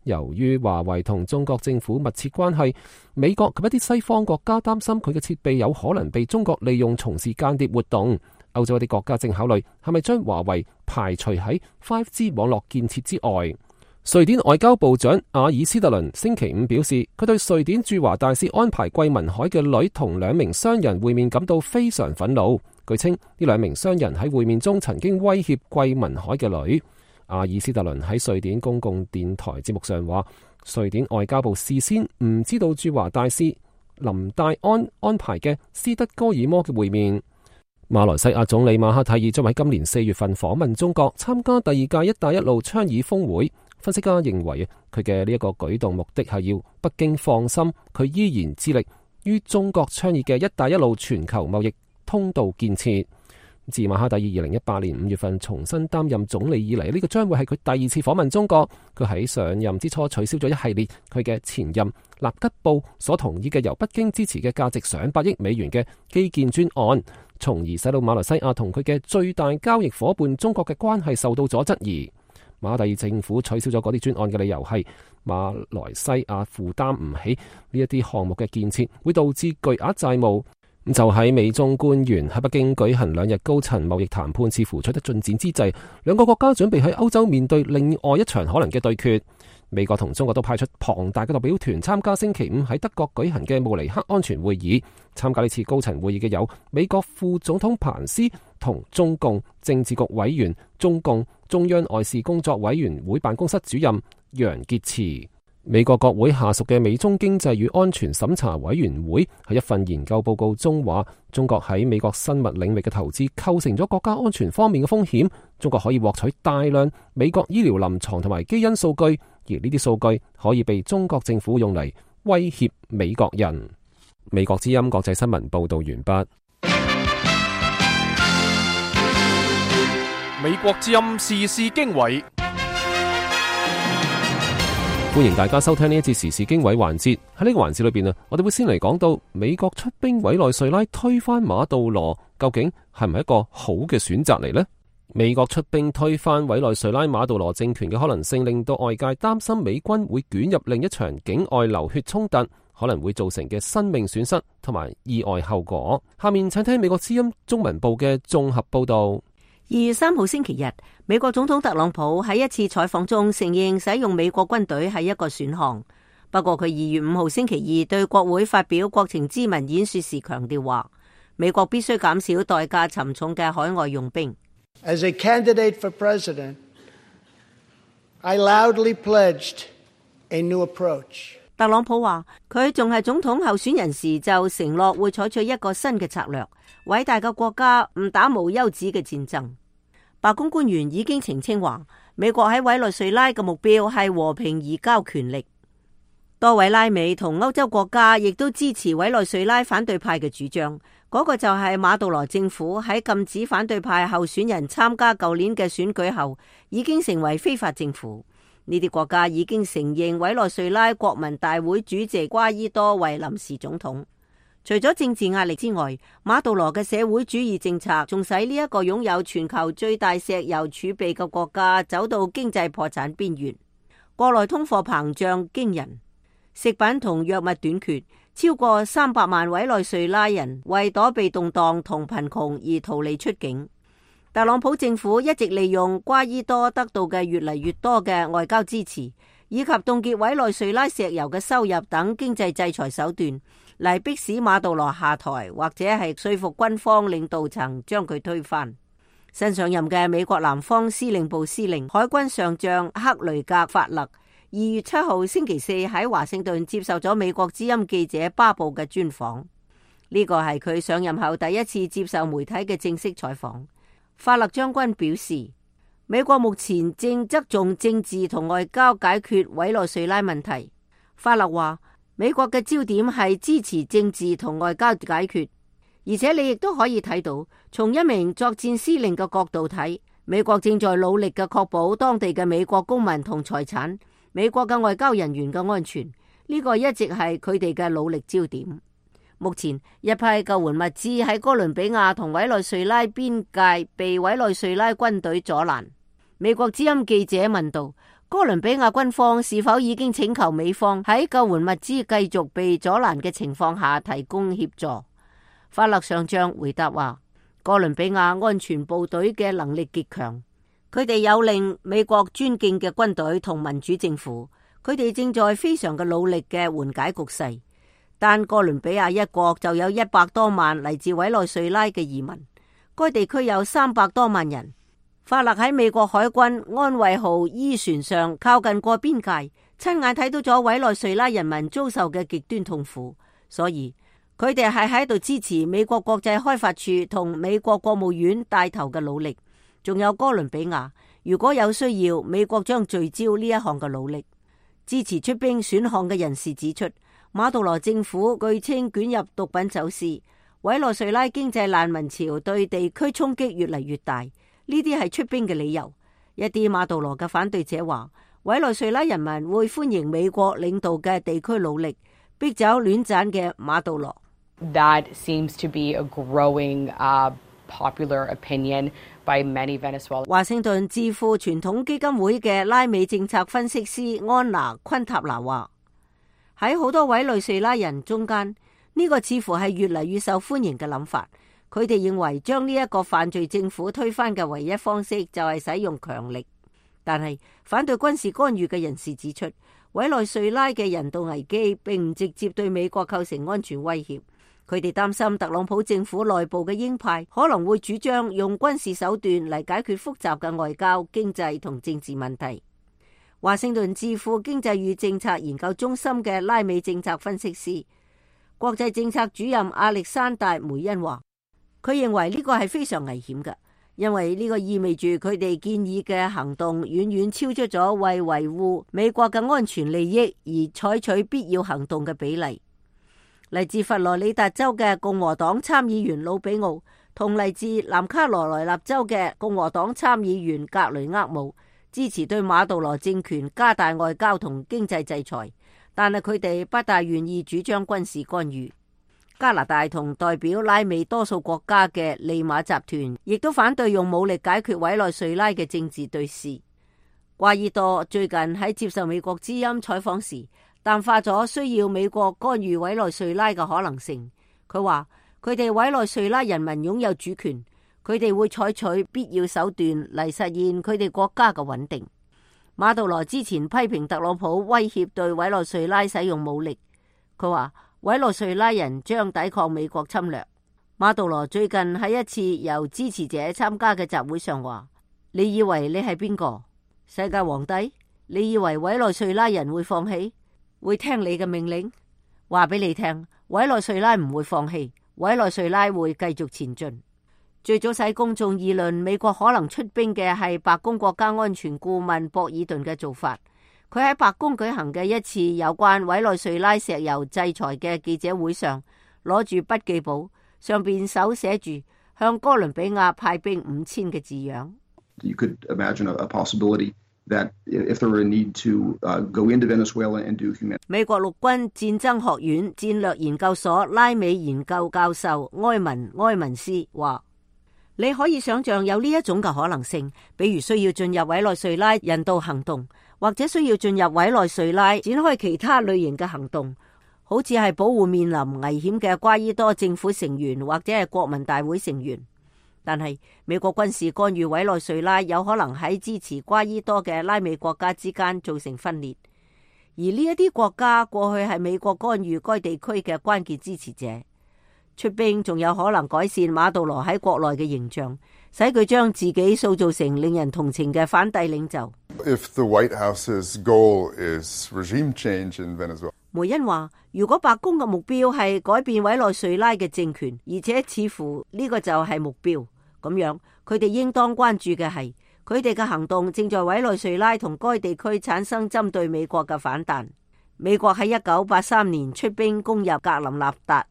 由於華為同中國政府密切關係，美國及一啲西方國家擔心佢嘅設備有可能被中國利用從事間諜活動。歐洲一啲國家正考慮係咪將華為排除喺 5G 網絡建設之外。瑞典外交部長阿爾斯特倫星期五表示，佢對瑞典駐華大使安排桂民海嘅女同2名商人會面感到非常憤怒。據稱，呢2名商人喺會面中曾經威脅桂民海嘅女。阿爾斯特倫喺瑞典公共電台節目上話，瑞典外交部事先唔知道駐華大使林戴安安排嘅斯德哥爾摩嘅會面。馬來西亞總理馬哈蒂爾將喺今年4月份訪問中國，參加第2屆一帶一路倡議峰會。分析家認為，佢嘅呢一個舉動目的係要北京放心，佢依然致力於中國倡議嘅一帶一路全球貿易通道建設。自馬哈蒂爾2018年5月份重新擔任總理以嚟，呢個將會係佢第2次訪問中國。佢喺上任之初取消咗一系列佢嘅前任納吉布所同意嘅由北京支持嘅價值上百億美元嘅基建專案，從而使到馬來西亞同佢嘅最大交易夥伴中國嘅關係受到咗質疑。馬哈蒂爾政府取消咗嗰啲專案嘅理由係馬來西亞負擔唔起呢一啲項目嘅建設，會導致巨額債務。就喺美中官員喺北京舉行2日高層貿易談判似乎取得進展之際，兩個國家準備喺歐洲面對另外一場可能嘅對決。美國同中國都派出龐大嘅代表團參加星期5喺德國舉行嘅慕尼黑安全會議。參加呢次高層會議嘅有美國副總統彭斯同中共政治局委員、中共中央外事工作委員會辦公室主任楊潔篪。美國國會下屬嘅美中經濟與安全審查委員會喺一份研究報告中話，中國喺美國生物領域嘅投資構成咗國家安全方面嘅風險。中國可以獲取大量美國醫療臨床同埋基因數據，而呢啲數據可以被中國政府用嚟威脅美國人。美國之音國際新聞報道完畢。美國之音時事經緯。歡迎大家收聽呢一節時事經緯環節。喺呢個環節裏邊我哋會先嚟講到美國出兵委內瑞拉推翻馬杜羅，究竟係唔係一個好嘅選擇嚟呢？美國出兵推翻委內瑞拉馬杜羅政權嘅可能性，令到外界擔心美軍會捲入另一場境外流血衝突，可能會造成嘅生命損失同埋意外後果。下面請聽美國之音中文部嘅綜合報道。2月3號星期日，美國總統特朗普喺一次採訪中承認使用美國軍隊係一個選項。不過佢2月5號星期二對國會發表國情咨文演說時強調話，美國必須減少代價沉重嘅海外用兵。As a candidate for president, I loudly pledged a new approach. 特朗普話佢仲係總統候選人時就承諾會採取一個新嘅策略，偉大嘅國家唔打無休止嘅戰爭。白宮官員已經澄清話，美國喺委內瑞拉嘅目標係和平移交權力。多位拉美同歐洲國家亦都支持委內瑞拉反對派嘅主張，嗰個就係馬杜羅政府喺禁止反對派候選人參加舊年嘅選舉後，已經成為非法政府。呢啲國家已經承認委內瑞拉國民大會主席瓜伊多為臨時總統。除咗政治壓力之外，馬杜羅嘅社會主義政策仲使呢一個擁有全球最大石油儲備嘅國家走到經濟破產邊緣。國內通貨膨脹驚人，食品同藥物短缺，超過300萬委內瑞拉人為躲避動盪同貧窮而逃離出境。特朗普政府一直利用瓜伊多得到嘅越嚟越多嘅外交支持，以及凍結委內瑞拉石油嘅收入等經濟制裁手段，嚟迫使馬杜羅下台，或者係說服軍方領導層將佢推翻。新上任嘅美國南方司令部司令海軍上將克雷格法勒2月7號星期四喺華盛頓接受咗美國之音記者巴布嘅專訪。呢個係佢上任後第一次接受媒體嘅正式採訪。法勒將軍表示，美國目前正側重政治同外交解決委內瑞拉問題。法勒話，美國嘅焦點係支持政治同外交解決，而且你亦都可以睇到，從一名作戰司令嘅角度睇，美國正在努力嘅確保當地嘅美國公民同財產、美國嘅外交人員嘅安全，呢個一直係佢哋嘅努力焦點。目前一批救援物資喺哥倫比亞同委內瑞拉邊界被委內瑞拉軍隊阻攔。美國之音記者問道，哥倫比亞軍方是否已經請求美方喺救援物資繼續被阻攔嘅情況下提供協助？法勒上將回答話，哥倫比亞安全部隊嘅能力極強，佢哋有令美國尊敬嘅軍隊同民主政府，佢哋正在非常嘅努力嘅緩解局勢。但哥倫比亞一國就有100多萬嚟自委內瑞拉嘅移民，該地區有300多萬人。法勒喺美國海軍安慰號伊船上靠近過邊界，親眼睇到咗委內瑞拉人民遭受嘅極端痛苦，所以佢哋係喺度支持美國國際開發處同美國國務院帶頭嘅努力。仲有哥倫比亞，如果有需要，美國將聚焦呢一項嘅努力。支持出兵選項嘅人士指出，馬杜羅政府據稱捲入毒品走私，委內瑞拉經濟難民潮對地區衝擊越嚟越大，呢啲係出兵嘅理由。一啲馬杜羅嘅反對者話，委內瑞拉人民會歡迎美國領導嘅地區努力，逼走亂斬嘅馬杜羅。That seems to be a growing popular opinion by many Venezuelans. 華盛頓智庫傳統基金會嘅拉美政策分析師安娜昆塔拿話，喺好多委內瑞拉人中間，呢個似乎係越嚟越受歡迎嘅諗法。佢哋認為將呢一個犯罪政府推翻嘅唯一方式就係使用強力。但係反對軍事干預嘅人士指出，委內瑞拉嘅人道危機並唔直接對美國構成安全威脅。佢哋擔心特朗普政府內部嘅鷹派可能會主張用軍事手段嚟解決複雜嘅外交、經濟同政治問題。華盛頓智庫經濟與政策研究中心嘅拉美政策分析師、國際政策主任亞歷山大梅恩話，佢認為呢個係非常危險嘅，因為呢個意味住佢哋建議嘅行動遠遠超出咗為維護美國嘅安全利益而採取必要行動嘅比例。嚟自佛羅里達州嘅共和黨參議員魯比奧同嚟自南卡羅來納州嘅共和黨參議員格雷厄姆支持對馬杜羅政權加大外交同經濟制裁，但係佢哋不大願意主張軍事干預。加拿大同代表拉美多數國家嘅利馬集團亦都反對用武力解決委內瑞拉嘅政治對峙。瓜伊多最近喺接受美國之音採訪時淡化咗需要美國干預委內瑞拉嘅可能性。佢話佢哋委內瑞拉人民擁有主權，佢哋會採取必要手段嚟實現佢哋國家嘅穩定。馬杜羅之前批評特朗普威脅對委內瑞拉使用武力，佢話委內瑞拉人將抵抗美國侵略。馬杜羅最近喺一次由支持者參加嘅集會上話，你以為你係邊個？世界皇帝？你以為委內瑞拉人會放棄？會聽你嘅命令？話俾你聽，委內瑞拉唔會放棄，委內瑞拉會繼續前進。最早使公眾議論美國可能出兵嘅係白宮國家安全顧問博爾頓嘅做法。佢喺白宮舉行嘅一次有關委內瑞拉石油制裁嘅記者會上，攞住筆記簿，上邊手寫住向哥倫比亞派兵5000嘅字樣。You could imagine a possibility that if there were a need to go into Venezuela and do humanitarian。美國陸軍戰爭學院戰略研究所拉美研究教授埃文斯話，你可以想象有呢一種嘅可能性，比如需要進入委內瑞拉人道行動，或者需要進入委內瑞拉展開其他類型嘅行動，好似係保護面臨危險嘅瓜伊多政府成員或者係國民大會成員。但係美國軍事干預委內瑞拉有可能喺支持瓜伊多嘅拉美國家之間造成分裂，而呢一啲國家過去係美國干預該地區嘅關鍵支持者。出兵仲有可能改善馬杜羅喺國內嘅形象，使佢將自己塑造成令人同情嘅反帝領袖。If the White House's goal is regime change in Venezuela，梅恩話，如果白宮嘅目標係改變委內瑞拉嘅政權，而且似乎呢個就係目標，咁樣佢哋應當關注嘅係佢哋嘅行動正在委內瑞拉同該地區產生針對美國嘅反彈。美國喺1983年出兵攻入格林納達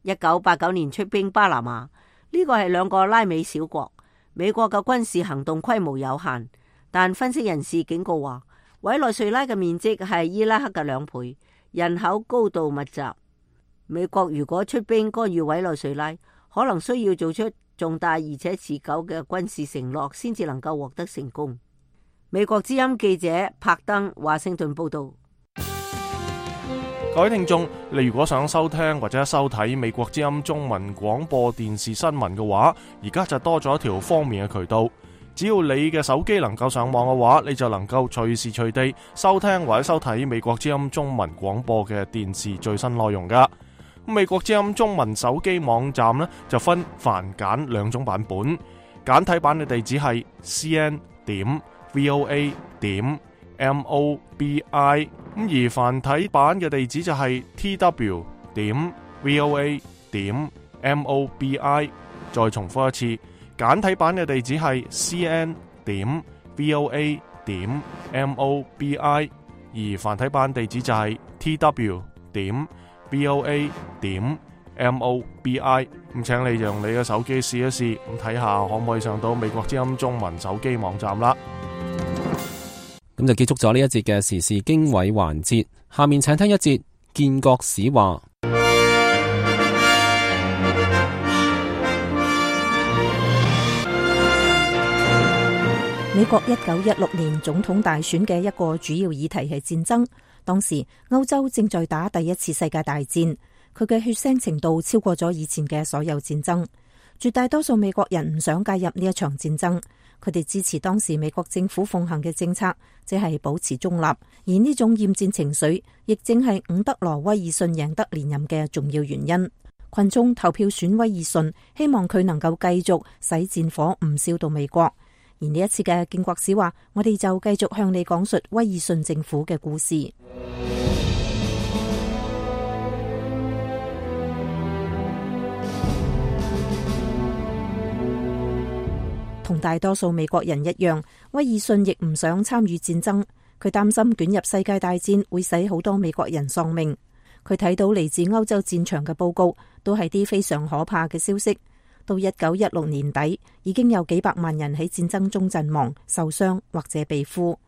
，1989年出兵巴拿馬，呢個係兩個拉美小國。美國嘅軍事行動規模有限，但分析人士警告話，委內瑞拉嘅面積係伊拉克嘅2倍，人口高度密集。美國如果出兵干預委內瑞拉，可能需要做出重大而且持久嘅軍事承諾，先至能夠獲得成功。美國之音記者柏登華盛頓報道。各位聽眾，你如果想收聽或者收睇美國之音中文廣播電視新聞嘅話，而家就多咗一條方便嘅渠道。只要你嘅手機能夠上網嘅話，你就能夠隨時隨地收聽或者收睇美國之音中文廣播嘅電視最新內容噶。美國之音中文手機網站呢，就分繁簡2種版本，簡體版嘅地址係 cn.voa.mobi， 而繁體版嘅地址就係 tw.voa.mobi。 再重複一次，簡體版嘅地址係 cn.voa.mobi， 而繁體版地址就係 tw.voa.mobi。 咁請你用你嘅手機試一試，咁睇下可唔可以上到美國之音中文手機網站啦。咁就結束咗呢一節嘅時事經緯環節，下面請聽一節建國史話。美國1916年總統大選嘅一個主要議題係戰爭。當時歐洲正在打第一次世界大戰，佢嘅血腥程度超過咗以前嘅所有戰爭。絕大多數美國人唔想介入呢一場戰爭，佢哋支持當時美國政府奉行嘅政策，即係保持中立。而呢種厭戰情緒，亦正係伍德羅·威爾遜贏得連任嘅重要原因。群眾投票選威爾遜，希望佢能夠繼續使戰火唔燒到美國。而呢一次嘅建國史話，我哋就繼續向你講述威爾遜政府嘅故事。同大多數美國人一樣，威爾遜亦唔想參與戰爭，佢擔心捲入世界大戰會使好多美國人喪命。佢睇到嚟自歐洲戰場嘅報告，都係啲非常可怕嘅消息。到1916年底，已經有幾百萬人喺戰爭中陣亡、受傷或者被俘。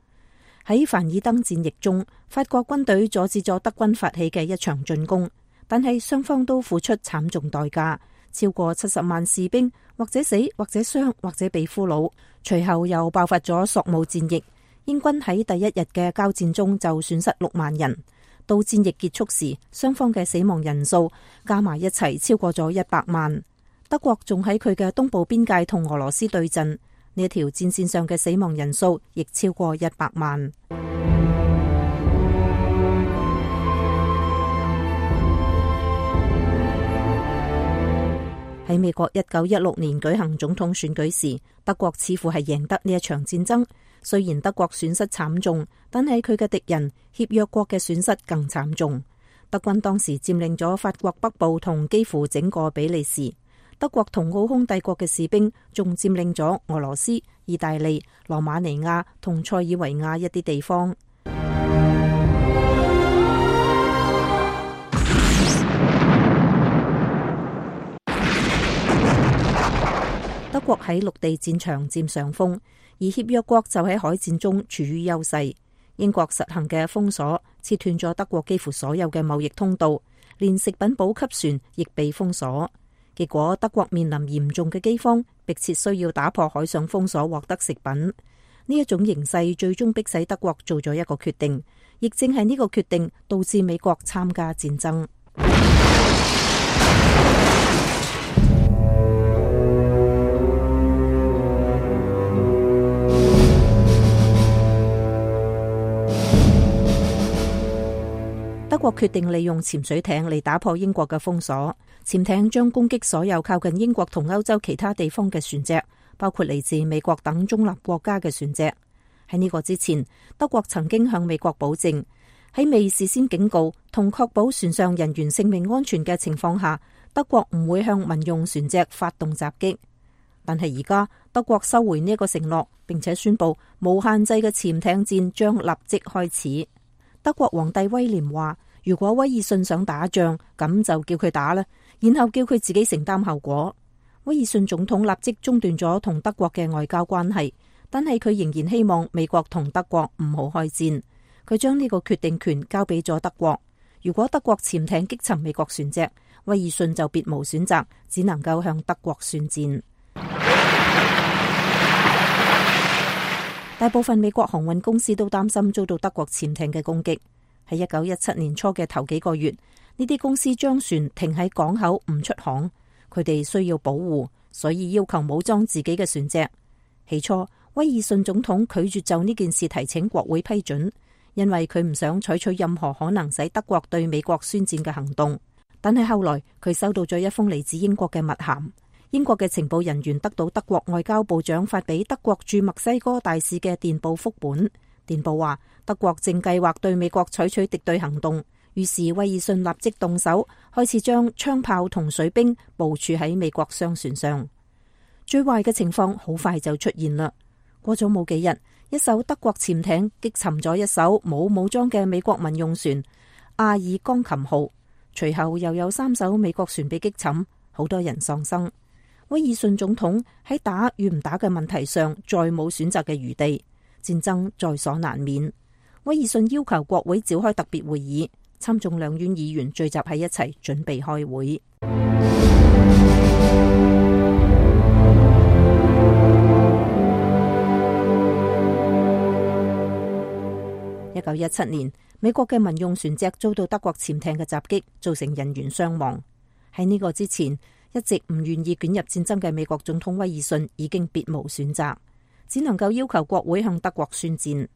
喺凡爾登戰役中，法國軍隊阻止咗德軍發起嘅一場進攻，但係雙方都付出慘重代價。超過70萬士兵或者死或者傷或者被俘虜，隨後又爆發咗索姆戰役。英軍喺第一日嘅交戰中就損失6萬人。到戰役結束時，雙方嘅死亡人數加埋一齊超過咗100萬。德國仲喺佢嘅東部邊界同俄羅斯對陣，呢一條戰線上嘅死亡人數亦超過100萬。喺美國1916年舉行總統選舉時，德國似乎係贏得呢一場戰爭。雖然德國損失慘重，但係佢嘅敵人協約國嘅損失更慘重。德軍當時佔領咗法國北部同幾乎整個比利時。德國同奧匈帝國嘅士兵仲佔領咗俄羅斯、意大利、羅馬尼亞同塞爾維亞一啲地方。德國喺陸地戰場佔上風，而協約國就喺海戰中處於優勢。英國實行嘅封鎖切斷咗德國幾乎所有嘅貿易通道，連食品補給船亦被封鎖。結果德國面臨嚴重嘅饑荒，迫切需要打破海上封鎖獲得食品。呢一種形勢最終迫使德國做咗一個決定，亦正係呢個決定導致美國參加戰爭。德國決定利用潛水艇嚟打破英國嘅封鎖。潛艇將攻擊所有靠近英國同歐洲其他地方嘅船隻，包括嚟自美國等中立國家嘅船隻。喺呢個之前，德國曾經向美國保證，喺未事先警告同確保船上人員性命安全嘅情況下，德國唔會向民用船隻發動襲擊。但係而家德國收回呢一個承諾，並且宣布無限制嘅潛艇戰將立即開始。德國皇帝威廉話，如果威爾遜想打仗，咁就叫佢打啦，然後叫佢自己承擔後果。威爾遜總統立即中斷咗同德國嘅外交關係，但係佢仍然希望美國同德國唔好開戰。佢將呢個決定權交俾咗德國。如果德國潛艇擊沉美國船隻，威爾遜就別無選擇，只能夠向德國宣戰。大部分美國航運公司都擔心遭到德國潛艇嘅攻擊。喺1917年初嘅頭幾個月，呢啲公司將船停喺港口唔出航，佢哋需要保護，所以要求武裝自己嘅船隻。起初，威爾遜總統拒絕就呢件事提請國會批准，因為佢唔想採取任何可能使德國對美國宣戰嘅行動。但係後來佢收到咗一封嚟自英國嘅密函。英國嘅情報人員得到德國外交部長發俾德國駐墨西哥大使嘅電報複本。電報話德國正計劃對美國採取敵對行動，於是威爾遜立即動手，開始將槍炮同水兵部署喺美國商船上。最壞嘅情況好快就出現啦。過咗冇幾日，一艘德國潛艇擊沉咗一艘冇武裝嘅美國民用船阿爾鋼琴號，隨後又有3艘美國船被擊沉，好多人喪生。威爾遜總統喺打與唔打嘅問題上再冇選擇嘅餘地，戰爭在所難免。威爾遜要求國會召開特別會議，參眾兩院議員聚集喺一齊準備開會。1917年，美國嘅民用船隻遭到德國潛艇嘅襲擊，造成人員傷亡。喺呢個之前，一直唔願意捲入戰爭嘅美國總統威爾遜已經別無選擇，只能夠要求國會向德國宣戰。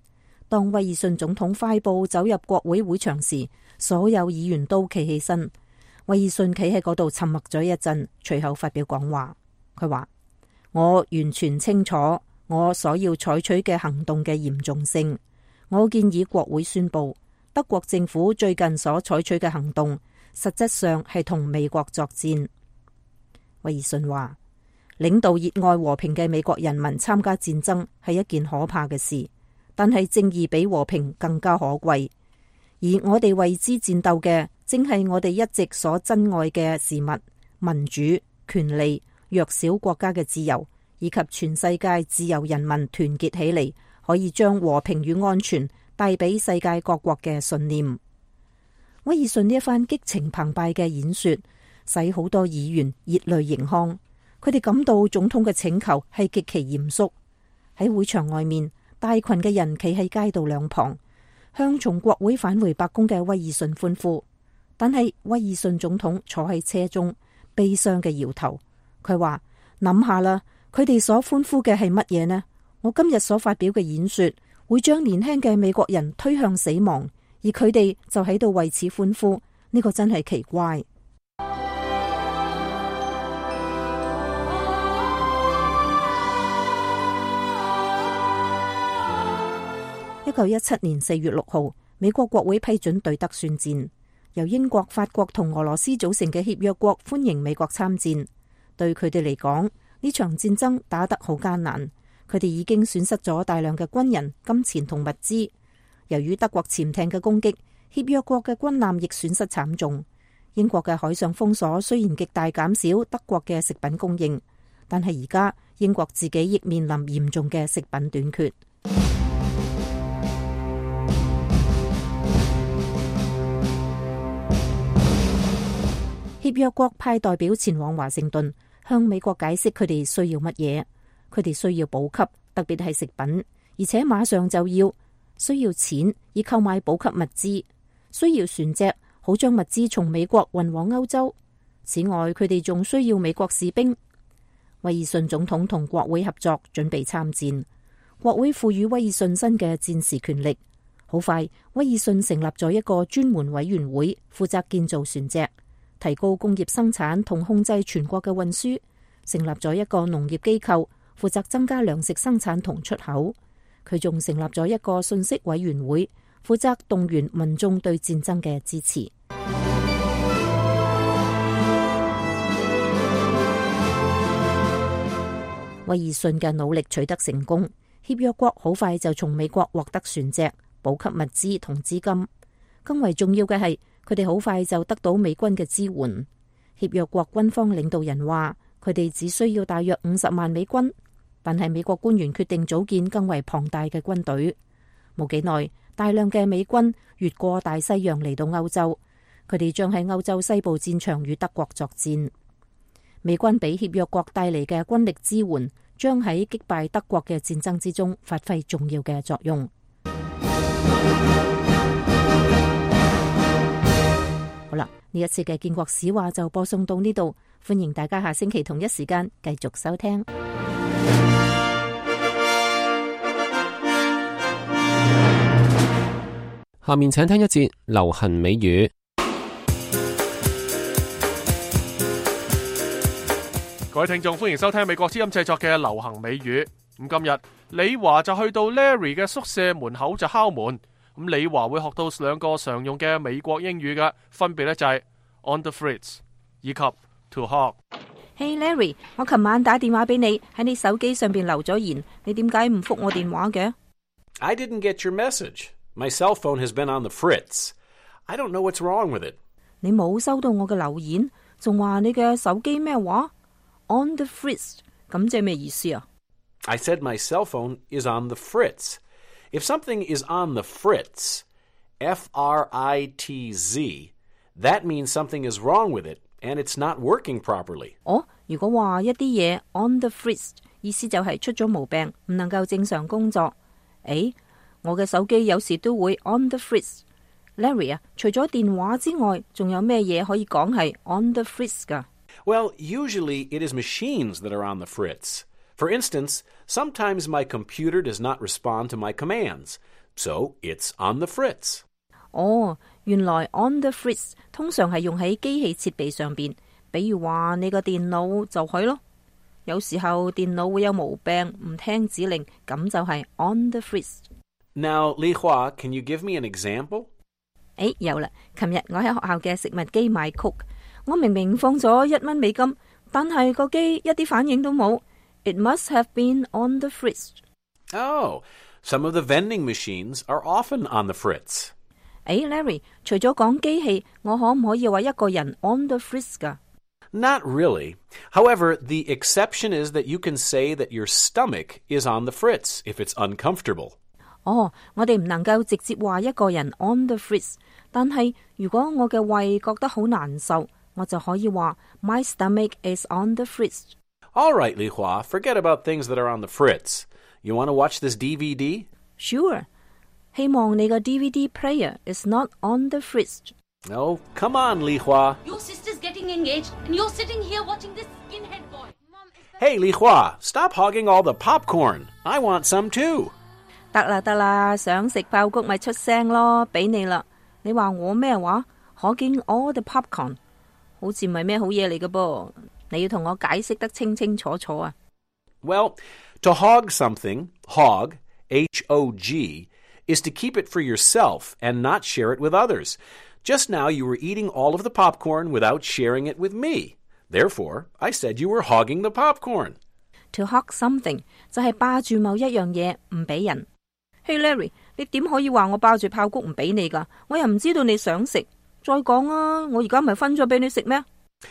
當威爾遜總統快步走入國會會場時，所有議員都企起身。威爾遜企喺嗰度沉默咗一陣，隨後發表講話。佢話：我完全清楚我所要採取嘅行動嘅嚴重性。我建議國會宣布，德國政府最近所採取嘅行動，實質上係同美國作戰。威爾遜話：領導熱愛和平嘅美國人民參加戰爭係一件可怕嘅事，但係正義比和平更加可貴。而我哋為之戰鬥嘅，正係我哋一直所珍愛嘅事物：民主、權利、弱小國家嘅自由，以及全世界自由人民團結起嚟，可以將和平與安全帶俾世界各國嘅信念。威爾遜呢一番激情澎湃嘅演說，使好多議員熱淚盈眶。佢哋感到總統嘅請求係極其嚴肅。喺會場外面，大群嘅人企喺街道兩旁，向從國會返回白宮嘅威爾遜歡呼。但係威爾遜總統坐喺車中，悲傷嘅搖頭。佢話：諗下啦，佢哋所歡呼嘅係乜嘢呢？我今日所發表嘅演說，會將年輕嘅美國人推向死亡，而佢哋就喺度為此歡呼。呢個真係奇怪。1917年4月6號，美國國會批准對德宣戰。由英國、法國同俄羅斯組成嘅協約國歡迎美國參戰。對佢哋嚟講，呢場戰爭打得好艱難。佢哋已經損失咗大量嘅軍人、金錢同物資。由於德國潛艇嘅攻擊，協約國嘅軍艦亦損失慘重。英國嘅海上封鎖雖然極大減少德國嘅食品供應，但係而家英國自己亦面臨嚴重嘅食品短缺。協約國派代表前往華盛頓，向美國解釋佢哋需要乜嘢。佢哋需要補給，特別係食品，而且馬上就要。需要錢以購買補給物資，需要船隻，好將物資從美國運往歐洲。此外，佢哋仲需要美國士兵。威爾遜總統同國會合作，準備參戰。國會賦予威爾遜新嘅戰時權力。好快，威爾遜成立咗一個專門委員會，負責建造船隻，提高工業生產同控制全國嘅運輸。成立咗一個農業機構，負責增加糧食生產同出口。佢仲成立咗一個信息委員會，負責動員民眾對戰爭嘅支持。威爾遜嘅努力取得成功，協約國好快就從美國獲得船隻、補給物資同資金。更為重要嘅係，佢哋好快就得到美軍嘅支援。協約國軍方領導人話，佢哋只需要大約50萬美軍。但係美國官員決定組建更為龐大嘅軍隊。冇幾耐，大量嘅美軍越過大西洋嚟到歐洲，佢哋將喺歐洲西部戰場與德國作戰。美軍俾協約國帶嚟嘅軍力支援，將喺擊敗德國嘅戰爭之中發揮重要嘅作用。好啦，呢一次嘅建國史話就播送到呢度，歡迎大家下星期同一時間繼續收聽。下面請聽一節流行美語。各位聽眾，歡迎收聽美國之音製作嘅流行美語。咁今日李華就去到 Larry 嘅宿舍門口就敲門。咁李華會學到兩個常用嘅美國英語嘅，分別咧就係 on the fritz 以及 to hog。Hey Larry， 我琴晚打電話俾你，喺你手機上邊留咗言，你點解唔覆我電話嘅？ I didn't get your message.My cell phone has been on the fritz. I don't know what's wrong with it. 你冇收到我嘅留言，仲話你嘅手機咩話 ？On the fritz， 咁即係咩意思啊？ I said my cell phone is on the fritz. If something is on the fritz, F-R-I-T-Z, that means something is wrong with it and it's not working properly. 如果話一啲嘢 on the fritz， 意思就係出咗毛病，唔能夠正常工作。我嘅手機有時都會 on the fritz， Larry 啊，除咗電話之外，仲有咩嘢可以講係 on the fritz 㗎？ Well, usually it is machines that are on the fritz. For instance, sometimes my computer does not respond to my commands, so it's on the fritz. 哦，原來 on the fritz 通常係用喺機器設備上邊，比如話你個電腦就係咯。有時候電腦會有毛病，唔聽指令，咁就係 on the fritz。 Now, Li Hua, can you give me an example? 有啦，琴日我喺學校嘅食物機買曲，我明明放咗1蚊美金，但係個機一啲反應都冇。It must have been on the fritz. Oh, some of the vending machines are often on the fritz. Larry, 除咗講機器，我可唔可以話一個人 on the fritz 㗎？ Not really. However, the exception is that you can say that your stomach is on the fritz if it's uncomfortable. 我哋唔能夠直接話一個人 on the fritz， 但係如果我嘅胃覺得好難受，我就可以話 My stomach is on the fritz. All right, Li Hua, forget about things that are on the fritz. You want to watch this DVD? Sure. 希望你個 DVD player is not on the fritz. Oh, come on, Li Hua. Your sister's getting engaged, and you're sitting here watching this skinhead boy. Hey, Li Hua, stop hogging all the popcorn. I want some too. 得啦，想食爆谷咪出聲咯，俾你啦。你話我咩話？hogging all the popcorn， 好似唔係咩好嘢嚟嘅噃。你要同我解釋得清清楚楚啊。Well, to hog something, hog, H-O-G, is to keep it for yourself and not share it with others. Just now you were eating all of the popcorn without sharing it with me. Therefore, I said you were hogging the popcorn. To hog something 就係霸住某一樣嘢唔俾人。Hey Larry， 你點可以話我霸住爆谷唔俾你㗎？我又唔知道你想食。再講啊，我而家咪分咗俾你食咩？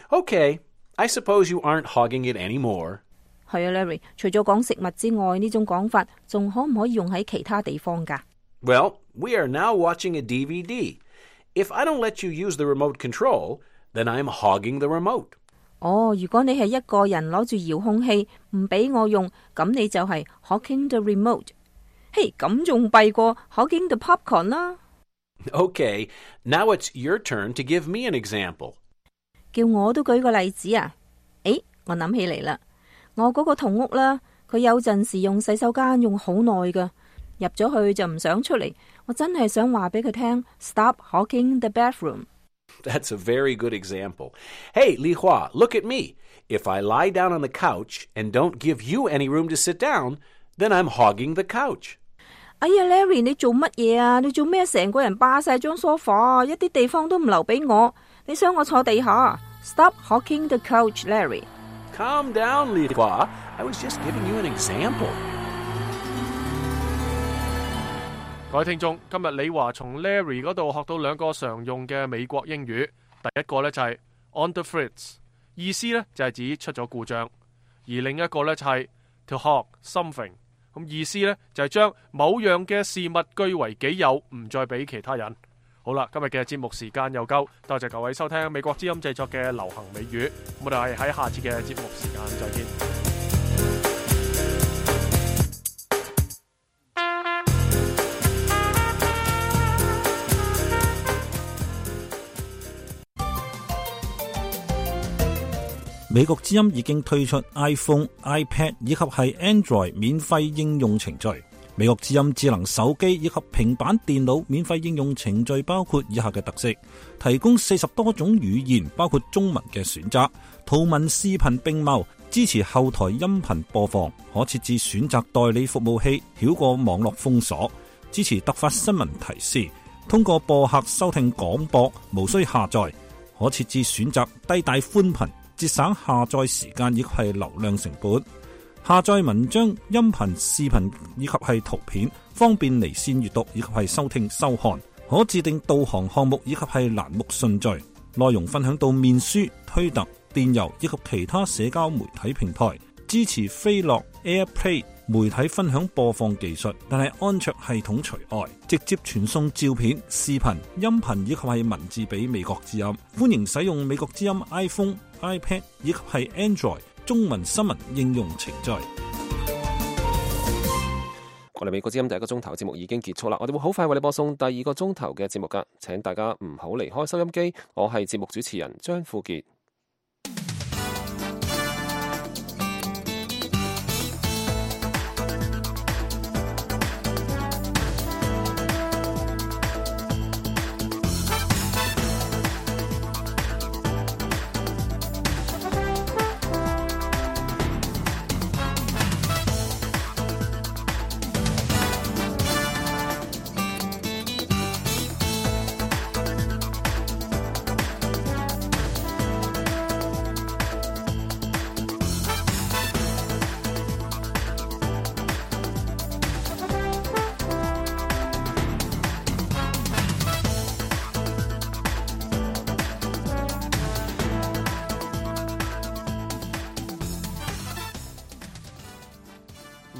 Okay, I suppose you aren't hogging it anymore. 係啊 Larry， 除咗講食物之外，呢種講法仲可唔可以用喺其他地方㗎？ Well, we are now watching a DVD. If I don't let you use the remote control, then I'm hogging the remote. 如果你係一個人攞住遙控器唔俾我用，咁你就係 hogging the remote。嘿，咁仲弊過 hogging the popcorn 啦。Okay, now it's your turn to give me an example. 叫我都舉個例子啊！我諗起嚟啦，我嗰個同屋啦，佢有陣時用洗手間用好耐㗎，入咗去就唔想出嚟。我真係想話俾佢聽 ，Stop hogging the bathroom. That's a very good example. Hey, Li Hua, look at me. If I lie down on the couch and don't give you any room to sit down, then I'm hogging the couch. 哎呀 ，Larry， 你做乜嘢啊？你做咩成個人霸晒張梳化，一啲地方都唔留俾我？你想我坐地下 ？Stop hogging the couch, Larry. Calm down, Li Hua. I was just giving you an example. 各位聽眾，今日李華從 Larry 嗰度學到兩個常用嘅美國英語。第一個呢就係 on the fritz， 意思呢就係指出咗故障；而另一個呢就係 to hog something， 咁意思呢就係將某樣嘅事物據為己有，唔再俾其他人。好啦，今日嘅節目時間又夠，多謝各位收聽美國之音製作嘅流行美語，我哋喺下次嘅節目時間再見。美國之音已經推出 iPhone、iPad 以及係 Android 免費應用程序。美國之音智能手機以及平板電腦免費應用程序包括以下嘅特色：提供40多種語言，包括中文嘅選擇，圖文視頻並茂，支持後台音頻播放，可設置選擇代理服務器，繞過網絡封鎖，支持突發新聞提示，通過播客收聽廣播，無需下載，可設置選擇低帶寬頻，節省下載時間以及係流量成本。下載文章、音頻、視頻以及係圖片，方便離線閱讀以及係收聽收看。可自定導航項目以及係欄目順序。內容分享到面書、推特、電郵以及其他社交媒體平台。支持飛樂 AirPlay 媒體分享播放技術，但係安卓系統除外。直接傳送照片、視頻、音頻以及係文字俾美國之音。歡迎使用美國之音 iPhone、iPad 以及係 Android中文新聞應用程序。我哋美國之音第一個鐘頭嘅節目已經結束啦，我哋會好快為你播送第二個鐘頭嘅節目㗎，請大家唔好離開收音機。我係節目主持人張富傑。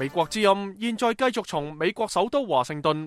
美國之音現在繼續從美國首都華盛頓